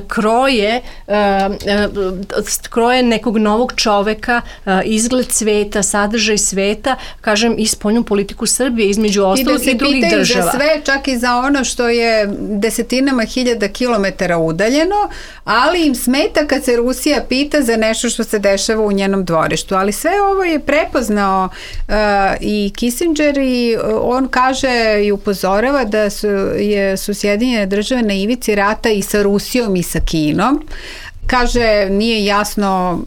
kroje nekog novog čoveka, izgled sveta, sadržaj sveta, kažem, i spoljnu politiku Srbije, između ostalog i drugih država. I da se pitaju za sve, čak i za ono što je desetinama hiljada kilometara udaljeno, ali im smeta kad se Rusija pita za nešto što se dešava u njenom dvorištu. Ali sve ovo je prepoznao i Kissinger, i on kaže i upozorava da su Sjedinjene države na ivici rata i sa Rusijom i sa Kinom. Kaže,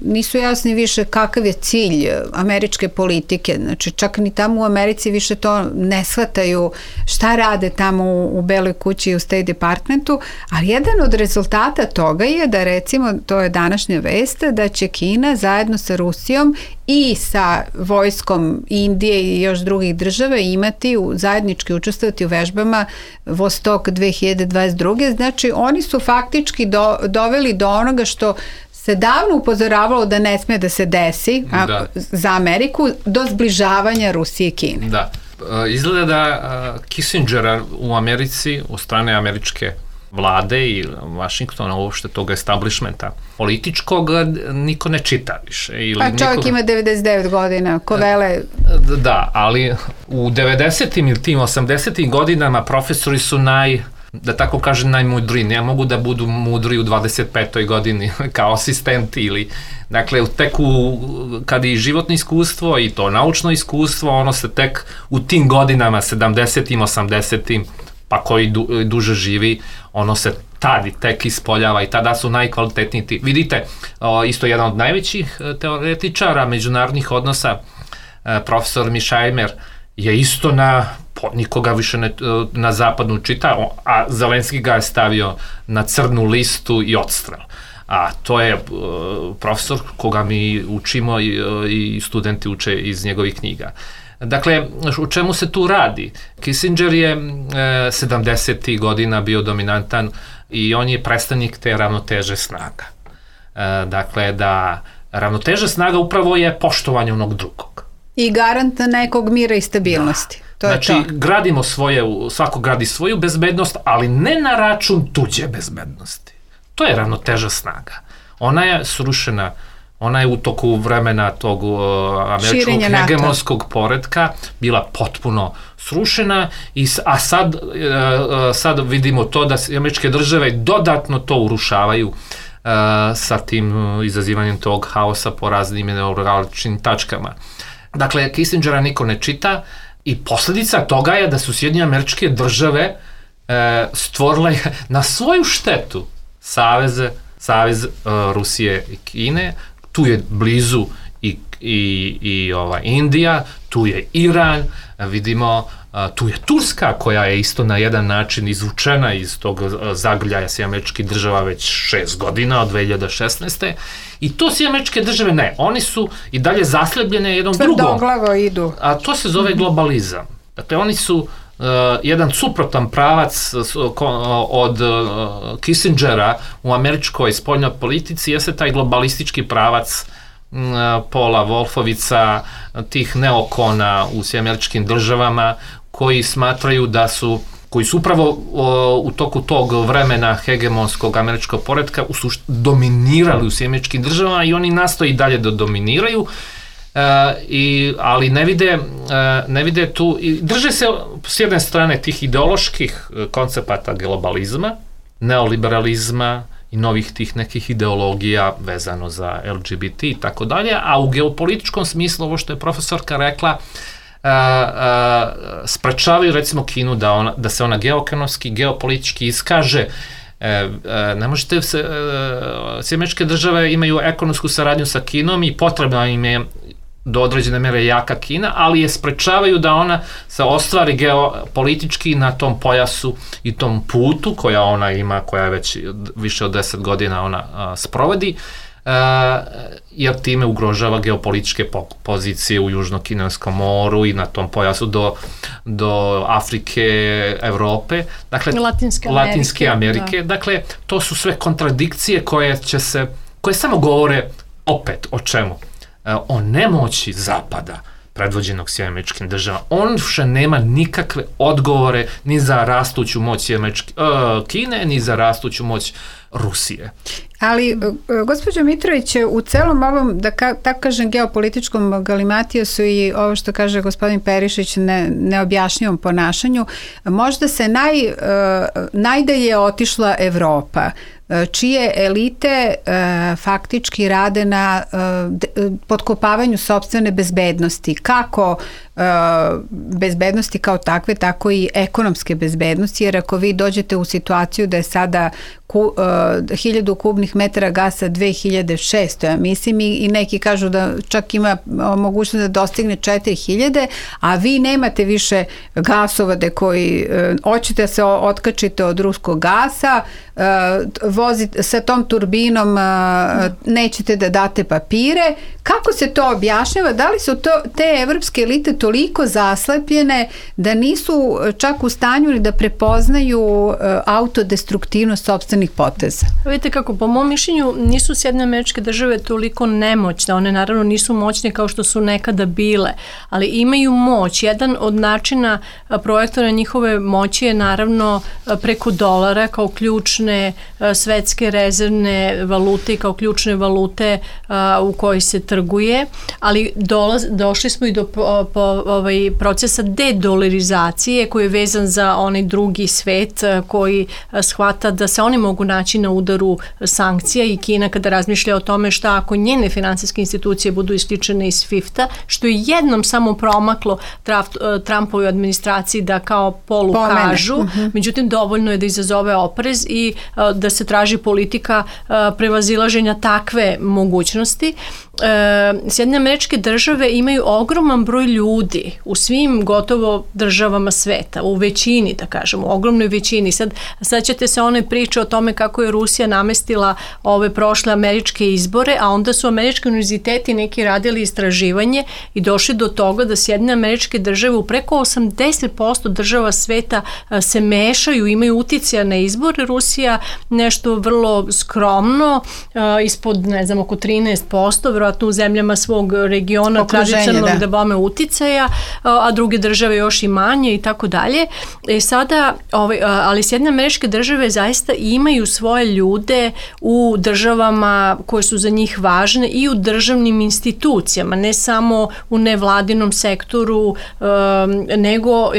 nisu jasni više kakav je cilj američke politike, znači čak ni tamo u Americi više to ne shvataju šta rade tamo u Beloj kući i u State Departmentu, ali jedan od rezultata toga je da, recimo, to je današnja vest, da će Kina zajedno sa Rusijom i sa vojskom Indije i još drugih država zajednički učestvovati u vežbama Vostok 2022. Znači, oni su faktički doveli do onoga što se davno upozoravalo da ne sme da se desi za Ameriku, do zbližavanja Rusije i Kine. Da. Izgleda da Kissingera u Americi, u strane američke vlade i Washingtona, uopšte tog establishmenta političkog, niko ne čita više. Pa čovjek ima 99 godina, ko vele... Da, ali u 90-im ili tim 80-im godinama profesori su da tako kažem, najmudriji. Ne mogu da budu mudri u 25. godini kao asistenti ili... Dakle, kad je životno iskustvo i to naučno iskustvo, ono se tek u tim godinama, 70-im, 80-im, pa koji duže živi, ono se tada tek ispoljava i tada su najkvalitetniji. Vidite, isto jedan od najvećih teoretičara međunarodnih odnosa, profesor Mišajmer, je isto nikoga više na zapadu čita, a Zelenski ga je stavio na crnu listu i odstrel. A to je profesor koga mi učimo i studenti uče iz njegovih knjiga. Dakle, u čemu se tu radi? Kissinger je 70. godina bio dominantan i on je predstavnik te ravnoteže snaga. Dakle, da ravnoteža snaga upravo je poštovanje onog drugog. I garant nekog mira i stabilnosti. Da. Znači, gradimo svako gradi svoju bezbednost, ali ne na račun tuđe bezbednosti. To je ravnoteža snaga. Ona je srušena, ona je u toku vremena tog američkog hegemonskog poretka bila potpuno srušena, a sad vidimo to da američke države dodatno to urušavaju sa tim izazivanjem tog haosa po raznim neuralgičnim tačkama. Dakle, Kissingera niko ne čita i posljedica toga je da su Sjedinjene Američke Države stvorile na svoju štetu savez Rusije i Kine. Tu je blizu i Indija, tu je Iran, vidimo, tu je Turska koja je isto na jedan način izvučena iz tog zagrljaja Sjedinjenih Američkih Država već 6 godina od 2016. I to Sjedinjene Američke Države ne, oni su i dalje zaslebljene jednom drugom. Tvrdoglavo idu. A to se zove globalizam. Dakle, oni su jedan suprotan pravac od Kissingera u američkoj spoljnoj politici jeste taj globalistički pravac Paula Wolfovica, tih neokona u Sjedinjenim Američkim Državama koji smatraju koji su upravo u toku tog vremena hegemonskog američkog poretka dominirali u Sjedinjenim Američkim Državama i oni nastoje i dalje da dominiraju, ali ne vide tu, drže se s jedne strane tih ideoloških koncepata globalizma, neoliberalizma i novih tih nekih ideologija vezano za LGBT i tako dalje, a u geopolitičkom smislu, ovo što je profesorka rekla, sprečavaju recimo Kinu da se ona geoekonomski, geopolitički iskaže. Ne možete Sjedinjene Američke Države imaju ekonomsku saradnju sa Kinom i potrebno im je do određene mere jaka Kina, ali je sprečavaju da ona se ostvari geopolitički na tom pojasu i tom putu koja ona ima, koja je već više od 10 godina ona sprovodi, jer time ugrožava geopolitičke pozicije u Južno-Kineskom moru i na tom pojasu do Afrike, Evrope, dakle Latinske Amerike. Dakle, to su sve kontradikcije koje samo govore opet o čemu? O nemoći Zapada predvođenog Sjedinjenim Američkim Državama. On više nema nikakve odgovore ni za rastuću moć Kine, ni za rastuću moć Rusije. Ali, gospođo Mitrović, u celom ovom, da tako kažem, geopolitičkom galimatijusu i ovo što kaže gospodin Perišić neobjašnjivom ponašanju, možda se najdalje otišla Evropa, čije elite faktički rade na potkopavanju sopstvene bezbednosti, kako bezbednosti kao takve, tako i ekonomske bezbednosti, jer ako vi dođete u situaciju da je sada 1000 kubnih metara gasa 2600, ja mislim, i neki kažu da čak ima mogućnost da dostigne 4000, a vi nemate više gasovode koji hoćete da se otkačite od ruskog gasa, vozite sa tom turbinom, nećete da date papire. Kako se to objašnjava? Da li su te evropske elite toliko zaslepljene da nisu čak u stanju ni da prepoznaju autodestruktivnost sopstvenih poteza? Vidite kako, po mom mišljenju nisu Sjedinjene Američke Države toliko nemoćne, one naravno nisu moćne kao što su nekada bile, ali imaju moć. Jedan od načina projektora njihove moći je naravno preko dolara kao ključne svetske rezervne valute i kao ključne valute u kojoj se trguje, ali došli smo i do procesa dedolarizacije koji je vezan za onaj drugi svet koji shvata da se oni mogu naći na udaru sankcija i Kina kada razmišlja o tome šta ako njene finansijske institucije budu isključene iz SWIFT-a, što je jednom samo promaklo Trumpovoj administraciji da kao polu kažu, međutim dovoljno je da izazove oprez i da se traži politika prevazilaženja takve mogućnosti. Sjedinjene Američke Države imaju ogroman broj ljudi u svim gotovo državama sveta, u većini, da kažemo, u ogromnoj većini. Sad ćete se one priče o tome kako je Rusija namestila ove prošle američke izbore, a onda su američki univerziteti neki radili istraživanje i došli do toga da Sjedinjene Američke Države u preko 80% država sveta se mešaju, imaju uticaja na izbore. Rusija nešto vrlo skromno, ispod, ne znam, oko 13%, vjerojatno u zemljama svog regiona tradicionalnog da bome uticaja, a druge države još i manje i tako dalje. Sada, ali Sjedinjene Američke Države zaista imaju svoje ljude u državama koje su za njih važne i u državnim institucijama, ne samo u nevladinom sektoru, nego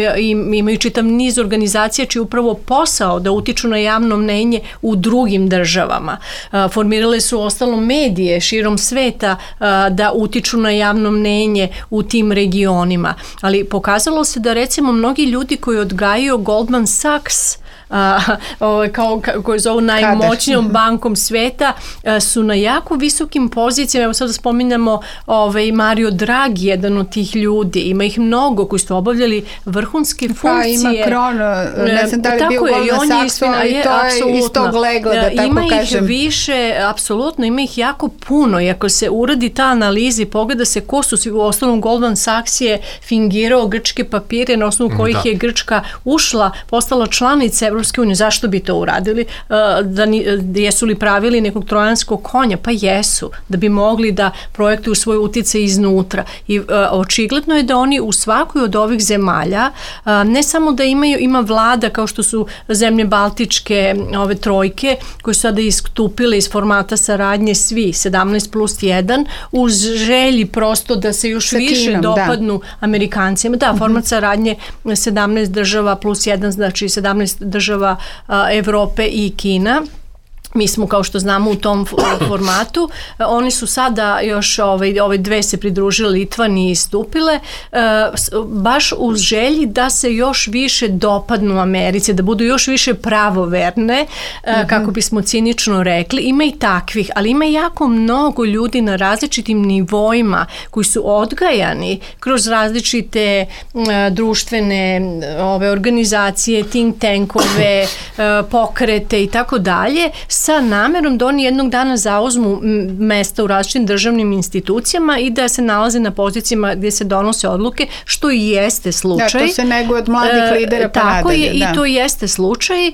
imaju čitav niz organizacija čiji upravo posao da utiču na javno mnenje u drugim državama. Formirale su ostalo medije širom sveta da utiču na javno mnenje u tim regionima. Ali pokazalo se da recimo mnogi ljudi koji odgajaju Goldman Sachs koji zovu najmoćnijom bankom sveta, su na jako visokim pozicijama. Evo sad da spominjamo Mario Draghi, jedan od tih ljudi. Ima ih mnogo koji su obavljali vrhunske funkcije. Pa ima Macron, ne znam da li je bio Goldman Sachs, ali to je iz tog legla, da tako kažem. Ima ih više, apsolutno, ima ih jako puno. I ako se uradi ta analiza i pogleda se ko su, u osnovu Goldman Sachs je fingirao grčke papire na osnovu kojih je Grčka postala članica Evropske unije. Zašto bi to uradili? Jesu li pravili nekog trojanskog konja? Pa jesu, da bi mogli da projektuju svoj uticaj iznutra. I očigledno je da oni u svakoj od ovih zemalja ne samo da ima vlada kao što su zemlje Baltičke, ove trojke, koje su sada istupile iz formata saradnje svi, 17+1, uz želji prosto da se još više dopadnu Amerikancima. Da, format saradnje 17 država plus 1, znači 17 država Evrope i Kina. Mi smo, kao što znamo, u tom formatu. Oni su sada još, ove dve se pridružile, Litvaniji i istupile, baš u želji da se još više dopadnu Americi, da budu još više pravoverne, kako bismo cinično rekli. Ima i takvih, ali ima jako mnogo ljudi na različitim nivoima koji su odgajani kroz različite društvene organizacije, think tankove, pokrete i tako dalje, sa namerom da oni jednog dana zauzmu mesta u različitim državnim institucijama i da se nalaze na pozicijama gdje se donose odluke, što i jeste slučaj. Da, to se neguje od mladih lidera pa tako nadalje. Je, i to jeste slučaj,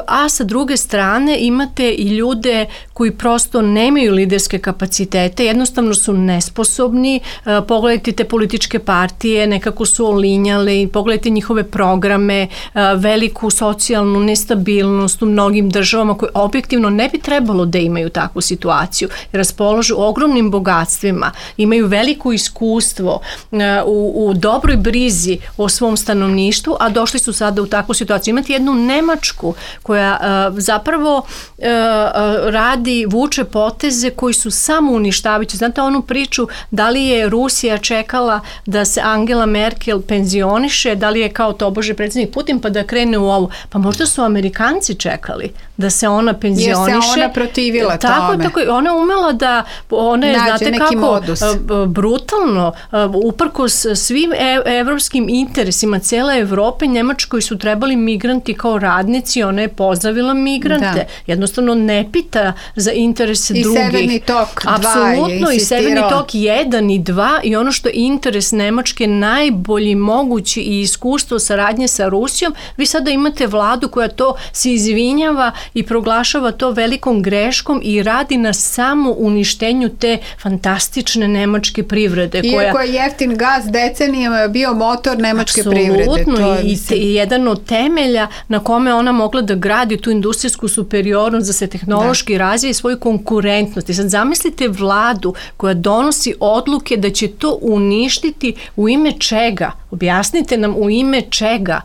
a sa druge strane imate i ljude koji prosto nemaju liderske kapacitete, jednostavno su nesposobni. Pogledajte te političke partije, nekako su olinjale, pogledajte njihove programe, veliku socijalnu nestabilnost u mnogim državama koje objektivno ne bi trebalo da imaju takvu situaciju. Raspolažu ogromnim bogatstvima, imaju veliko iskustvo u dobroj brizi o svom stanovništvu, a došli su sada u takvu situaciju. Imate jednu Nemačku koja zapravo vuče poteze koji su samo uništavajući. Znate onu priču da li je Rusija čekala da se Angela Merkel penzioniše, da li je kao tobože predsjednik Putin pa da krene u ovu. Pa možda su Amerikanci čekali da se ona penzioniše. Jer se ona protivila tome. Tako, ona umela da, ona je, znate kako, modus. Brutalno, uprkos svim evropskim interesima cijele Evrope, Njemačkoj su trebali migranti kao radnici, ona je pozdravila migrante. Da. Jednostavno ne pita za interese drugih. I Severni tok 2 apsolutno, i Severni tok 1 i 2 i ono što je interes Nemačke najbolji mogući i iskustvo saradnje sa Rusijom. Vi sada imate vladu koja to se izvinjava i proglašava to velikom greškom i radi na samo uništenju te fantastične nemačke privrede. Iako je jeftin gaz decenijama bio motor nemačke privrede. Apsolutno, i jedan od temelja na kome ona mogla da gradi tu industrijsku superiornost, da se tehnološki razvije svoju konkurentnost. I sad zamislite vladu koja donosi odluke da će to uništiti u ime čega? Objasnite nam u ime čega?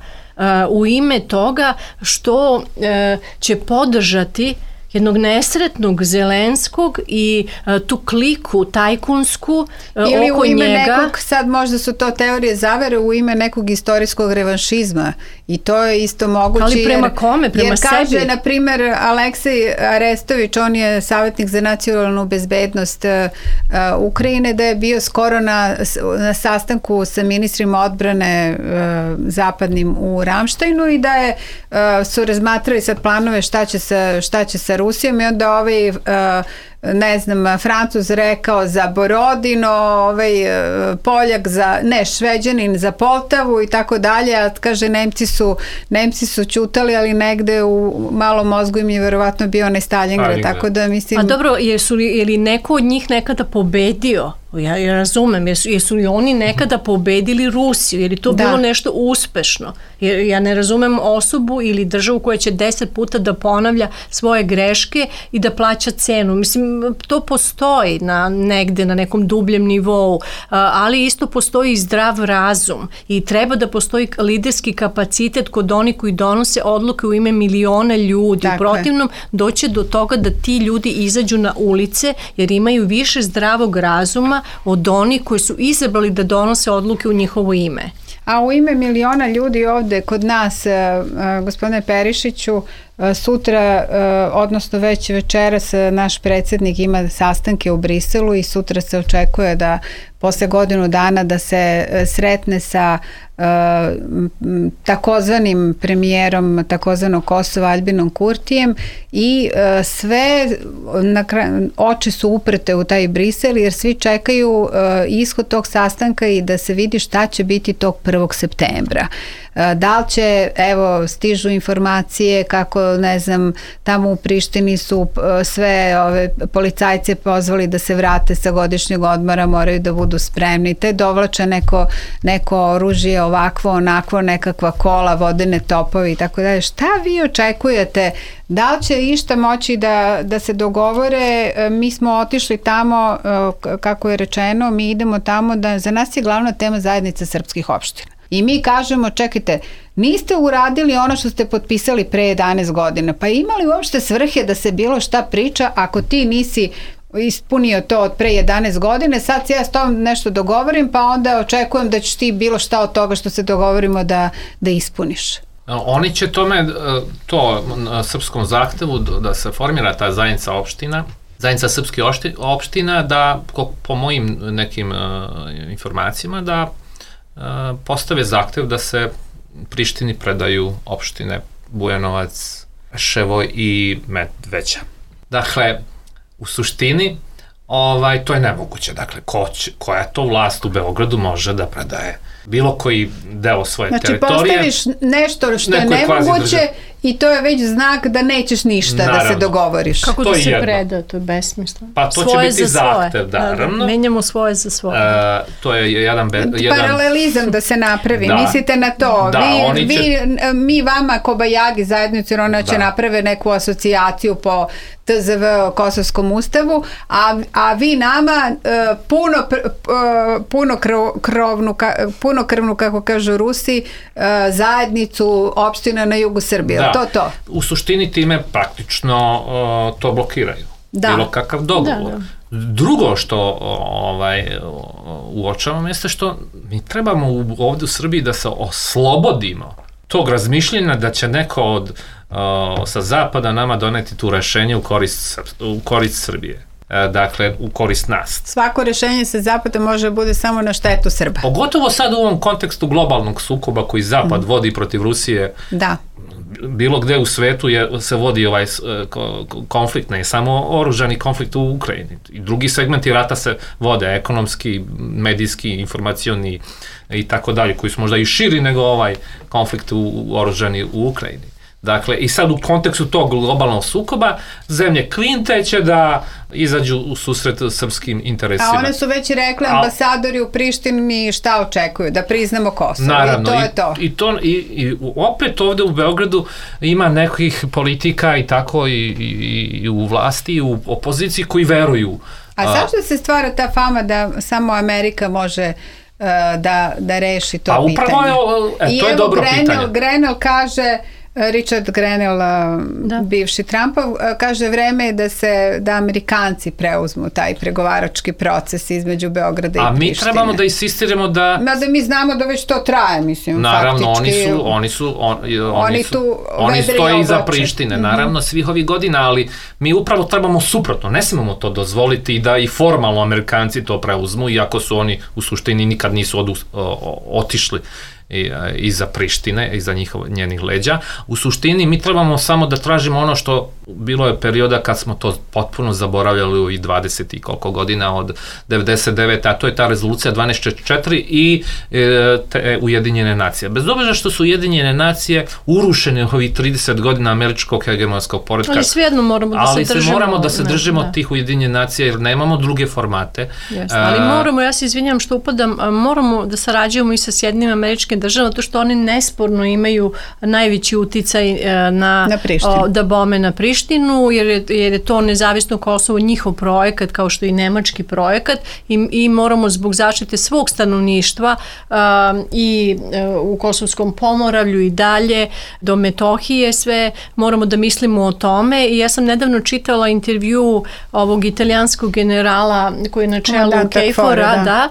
U ime toga što će podržati jednog nesretnog Zelenskog i tu kliku tajkunsku ili oko u ime njega. Nekog, sad možda su to teorije zavere, u ime nekog istorijskog revanšizma i to je isto moguće. Ali prema kome? Prema sebi? Jer kaže, na primjer, Aleksej Arestović, on je savjetnik za nacionalnu bezbednost Ukrajine, da je bio skoro na sastanku sa ministrima odbrane zapadnim u Ramštajnu i da je su razmatrali sad planove šta će sa Rusijom i onda ne znam, Francuz rekao za Borodino, Poljak Šveđanin za Poltavu i tako dalje, a kaže Nemci su ćutali, ali negde u malom mozgu im je verovatno bio onaj Stalingrad, tako da mislim... A dobro, je li neko od njih nekada pobedio? Ja razumem, jesu li oni nekada pobedili Rusiju, je li to bilo nešto uspešno? Ja ne razumem osobu ili državu koja će 10 puta da ponavlja svoje greške i da plaća cenu. Mislim, to postoji negde na nekom dubljem nivou, ali isto postoji i zdrav razum i treba da postoji liderski kapacitet kod onih koji donose odluke u ime miliona ljudi. U protivnom doće do toga da ti ljudi izađu na ulice jer imaju više zdravog razuma od onih koji su izabrali da donose odluke u njihovo ime. A u ime miliona ljudi ovde kod nas, gospodine Perišiću, sutra, odnosno već večeras, naš predsjednik ima sastanke u Briselu i sutra se očekuje da posle godinu dana da se sretne sa takozvanim premijerom takozvanog Kosova Aljbinom Kurtijem i sve oči su uprte u taj Brisel jer svi čekaju ishod tog sastanka i da se vidi šta će biti tog 1. septembra. Da li će, evo, stižu informacije kako, ne znam, tamo u Prištini su sve ove policajce pozvali da se vrate sa godišnjeg odmora, moraju da budu spremni, te dovlače neko oružje ovakvo, onakvo, nekakva kola, vodene topovi i tako dalje. Šta vi očekujete? Da li će išta moći da se dogovore? Mi smo otišli tamo, kako je rečeno, mi idemo tamo da za nas je glavna tema zajednica srpskih opština. I mi kažemo, čekajte, niste uradili ono što ste potpisali pre 11 godina, pa imali uopšte svrhe da se bilo šta priča ako ti nisi ispunio to od pre 11 godine, sad se ja s tom nešto dogovorim, pa onda očekujem da ćeš ti bilo šta od toga što se dogovorimo da ispuniš. Oni će to srpskom zahtevu da se formira ta zajednica srpskih opština, da po mojim nekim informacijama da postave zahtev da se Prištini predaju opštine Bujanovac, Preševo i Medveđa. Dakle, u suštini to je nemoguće. Dakle, koja to vlast u Beogradu može da predaje bilo koji deo svoje teritorije. Znači, postaviš nešto što je nemoguće i to je već znak da nećeš ništa da se dogovoriš. Kako da se preda, to je besmisleno. Pa to će biti zahtev, naravno. Menjamo svoje za svoje. To je jedan paralelizam da se napravi. Mislite na to. Mi vama Kobajagi zajednicu, jer ona će naprave neku asocijaciju po TZV o Kosovskom ustavu, a vi nama punokrvnu, kako kažu Rusi, zajednicu opština na jugu Srbije. To. U suštini time praktično to blokiraju. Bilo kakav dogovor. Drugo što uočavam jeste što mi trebamo ovdje u Srbiji da se oslobodimo tog razmišljenja da će neko sa zapada nama doneti tu rešenje u korist Srbije. Dakle, u korist nas. Svako rešenje sa zapada može da bude samo na štetu Srba. Pogotovo sad u ovom kontekstu globalnog sukoba koji zapad vodi protiv Rusije. Da. Bilo gde u svetu se vodi ovaj konflikt, ne samo oružani konflikt u Ukrajini. I drugi segmenti rata se vode, ekonomski, medijski, informacioni i tako dalje, koji su možda i širi nego ovaj konflikt oružani u Ukrajini. Dakle, i sad u kontekstu tog globalnog sukoba, zemlje Klinte će da izađu u susret srpskim interesima. A one su već rekli ambasadori u Prištini šta očekuju, da priznamo Kosovo. Naravno, i to je to. I opet ovde u Beogradu ima nekih politika i tako i u vlasti i u opoziciji koji veruju. A zašto se stvara ta fama da samo Amerika može da reši to pitanje? Pa upravo to je dobro pitanje. I Grenell kaže, Richard Grenell, bivši Trumpov, kaže vreme je da Amerikanci preuzmu taj pregovarački proces između Beograda i Prištine. A mi trebamo da insistiramo da... Da mi znamo da već to traje, mislim, naravno, faktički. Oni stoje iza Prištine, naravno, svih ovih godina, ali mi upravo trebamo suprotno, ne smemo to dozvoliti da i formalno Amerikanci to preuzmu, iako su oni u suštini nikad nisu otišli iza Prištine, iza njenih leđa. U suštini mi trebamo samo da tražimo ono što bilo je perioda kad smo to potpuno zaboravljali i 20 i koliko godina od 99. a to je ta rezolucija 1244 i Ujedinjene nacije. Bez obzira što su Ujedinjene nacije urušene ovih 30 godina američkog hegemonskog poretka. Ali svejedno moramo da se držimo. Tih Ujedinjenih nacija jer nemamo druge formate. Ali moramo, ja se izvinjam što upadam, moramo da sarađujemo i sa Sjedinjenim Američkim državama, to što oni nesporno imaju najveći uticaj na bome na Prištinu, jer je to nezavisno Kosovo njihov projekat, kao što i nemački projekat, i moramo zbog zaštite svog stanovništva i u Kosovskom pomoravlju i dalje do Metohije sve, moramo da mislimo o tome. I ja sam nedavno čitala intervju ovog italijanskog generala koji je na čelu KFOR-a,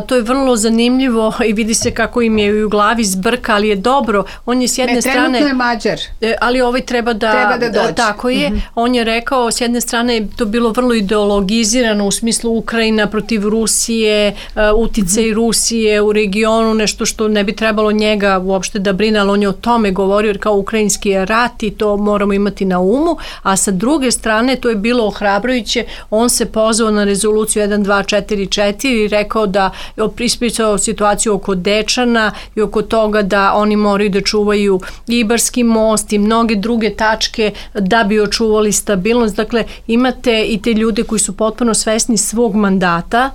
to je vrlo zanimljivo i vidi se kako im je u glavi zbrka, ali je dobro. On je s jedne strane... Trenutno je Mađar. Ali ovaj treba da dođe. Tako je. On je rekao, s jedne strane je to bilo vrlo ideologizirano u smislu Ukrajina protiv Rusije, uticaj Rusije u regionu, nešto što ne bi trebalo njega uopšte da brine, ali on je o tome govorio, jer kao ukrajinski je rat i to moramo imati na umu, a sa druge strane to je bilo ohrabrujuće, on se pozvao na rezoluciju 1244 i rekao da je prispisao situaciju oko Dečana i oko toga da oni moraju da čuvaju Ibarski most i mnoge druge tačke da bi očuvali stabilnost. Dakle, imate i te ljude koji su potpuno svesni svog mandata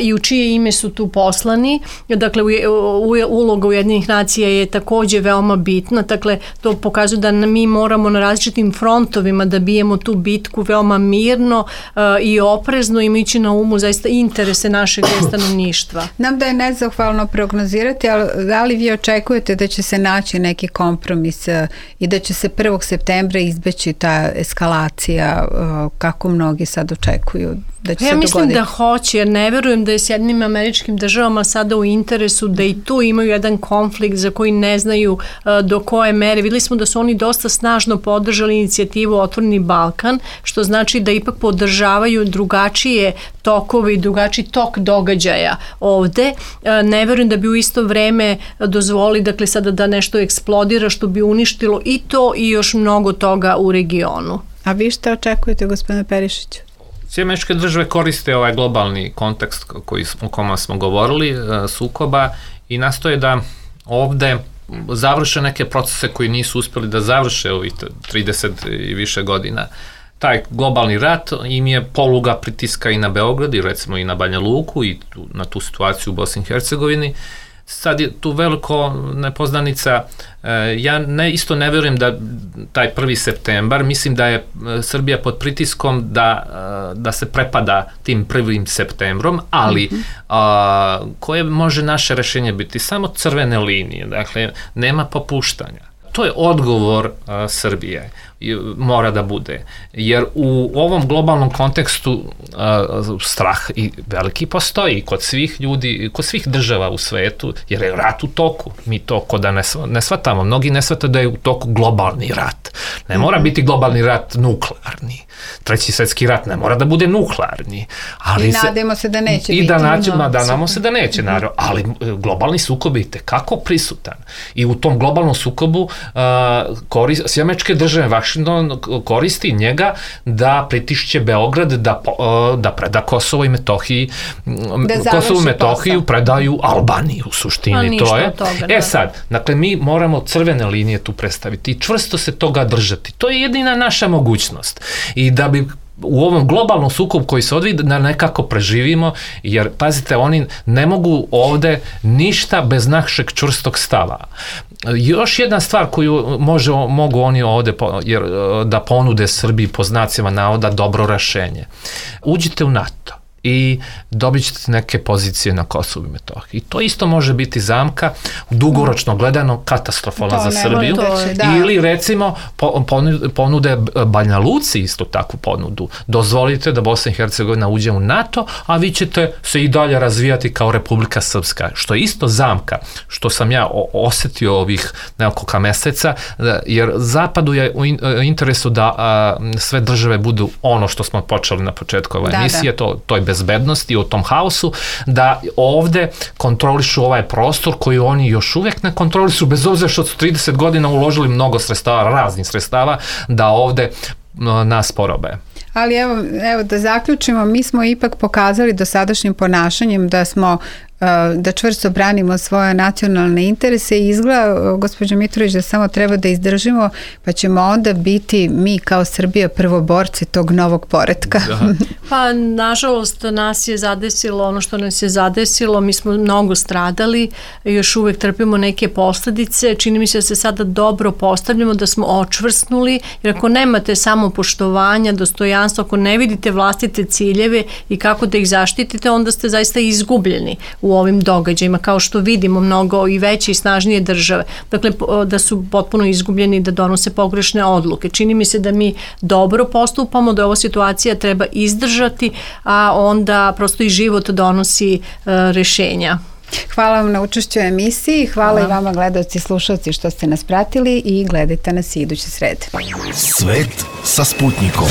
i u čije ime su tu poslani. Dakle, uloga Ujedinjenih nacija je takođe veoma bitna. Dakle, to pokazuje da mi moramo na različitim frontovima da bijemo tu bitku veoma mirno i oprezno, imajući na umu zaista interese našeg stanovništva. Nam da je nezahvalno prognozirati, ali da li vi očekujete da će se naći neki kompromis i da će se 1. septembra izbeći ta eskalacija kako mnogi sad očekuju da će se dogoditi? Ja mislim da hoće, jer ne verujem da je Sjedinjenim Američkim Državama sada u interesu da i tu imaju jedan konflikt za koji ne znaju do koje mere. Videli smo da su oni dosta snažno podržali inicijativu Otvoreni Balkan, što znači da ipak podržavaju drugačije tokove i drugačiji tok događaja ovde. Ne verujem da bi u isto vreme dozvoli, dakle, sada da nešto eksplodira što bi uništilo i to i još mnogo toga u regionu. A vi šta očekujete, gospodine Perišiću? Američke države koriste ovaj globalni kontekst o kome smo govorili, sukoba, i nastoje da ovde završe neke procese koji nisu uspjeli da završe ovih 30 i više godina. Taj globalni rat im je poluga pritiska i na Beograd i recimo i na Banja Luku i na tu situaciju u Bosni i Hercegovini. Sad je tu veliko nepoznanica. Ja isto ne verujem da taj 1. septembar, mislim da je Srbija pod pritiskom da se prepada tim 1. septembrom, ali koje može naše rešenje biti? Samo crvene linije, dakle, nema popuštanja. To je odgovor Srbije, mora da bude, jer u ovom globalnom kontekstu strah i veliki postoji kod svih ljudi, kod svih država u svetu, jer je rat u toku. Mi to kod da ne shvatamo, mnogi ne shvataju da je u toku globalni rat. Ne mora biti globalni rat nuklearni. 3. svjetski rat ne mora da bude nuklearni. I nadamo se da neće biti. Nadamo se da neće, naravno, ali globalni sukob je tekako prisutan. I u tom globalnom sukobu Američke države, Washington koristi njega da pritišće Beograd da preda Kosovo i Metohiju predaju Albaniji u suštini. To je. Toga, sad, dakle, mi moramo crvene linije tu predstaviti i čvrsto se toga držati. To je jedina naša mogućnost. I da bi u ovom globalnom sukobu koji se odvija da nekako preživimo, jer, pazite, oni ne mogu ovde ništa bez našeg čvrstog stava. Još jedna stvar koju mogu oni ovde da ponude Srbiji po znacima navoda dobro rešenje. Uđite u NATO i dobit ćete neke pozicije na Kosovu i Metohiji. I to isto može biti zamka, dugoročno gledano katastrofalna za Srbiju. Ili recimo ponude Banja Luci isto takvu ponudu. Dozvolite da Bosna i Hercegovina uđe u NATO, a vi ćete se i dalje razvijati kao Republika Srpska, što je isto zamka, što sam ja osetio ovih nekoliko meseca, jer Zapadu je u interesu da sve države budu ono što smo počeli na početku ove emisije, to je bezbednosti, u tom haosu, da ovde kontrolišu ovaj prostor koji oni još uvijek ne kontrolišu, bez obzira što su 30 godina uložili mnogo sredstava, raznih sredstava, da ovde nas porobe. Ali evo da zaključimo, mi smo ipak pokazali dosadašnjim ponašanjem da čvrsto branimo svoje nacionalne interese i izgleda, gospođo Mitrović, da samo treba da izdržimo, pa ćemo onda biti mi kao Srbija prvoborci tog novog poretka. Pa, nažalost, nas je zadesilo ono što nas je zadesilo, mi smo mnogo stradali, još uvek trpimo neke posljedice, čini mi se da se sada dobro postavljamo, da smo očvrsnuli, jer ako nemate samopoštovanja, dostojanstva, ako ne vidite vlastite ciljeve i kako da ih zaštitite, onda ste zaista izgubljeni u ovim događajima, kao što vidimo mnogo i veće i snažnije države. Dakle, da su potpuno izgubljeni, da donose pogrešne odluke. Čini mi se da mi dobro postupamo, da ova situacija treba izdržati, a onda prosto i život donosi rešenja. Hvala vam na učešću u emisiji, hvala i vama gledalci i slušalci što ste nas pratili i gledajte nas iduće srede. Svet sa Sputnikom.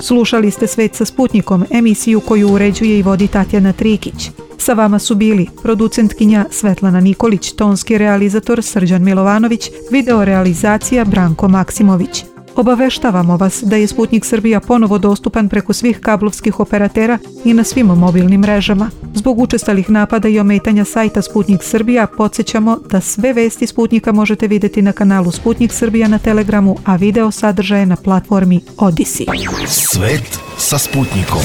Slušali ste Svet sa Sputnikom, emisiju koju uređuje i vodi Tatjana Trikić. Sa vama su bili producentkinja Svetlana Nikolić, tonski realizator Srđan Milovanović, video realizacija Branko Maksimović. Obaveštavamo vas da je Sputnik Srbija ponovo dostupan preko svih kablovskih operatera i na svim mobilnim mrežama. Zbog učestalih napada i ometanja sajta Sputnik Srbija, podsjećamo da sve vesti Sputnika možete vidjeti na kanalu Sputnik Srbija na Telegramu, a video sadržaje na platformi Odyssey. Svet sa Sputnikom.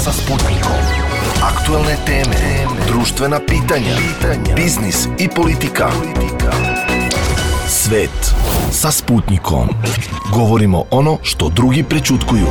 Aktuelne teme, društvena pitanja, biznis i politika. Svet sa Sputnikom. Govorimo ono što drugi prećutkuju.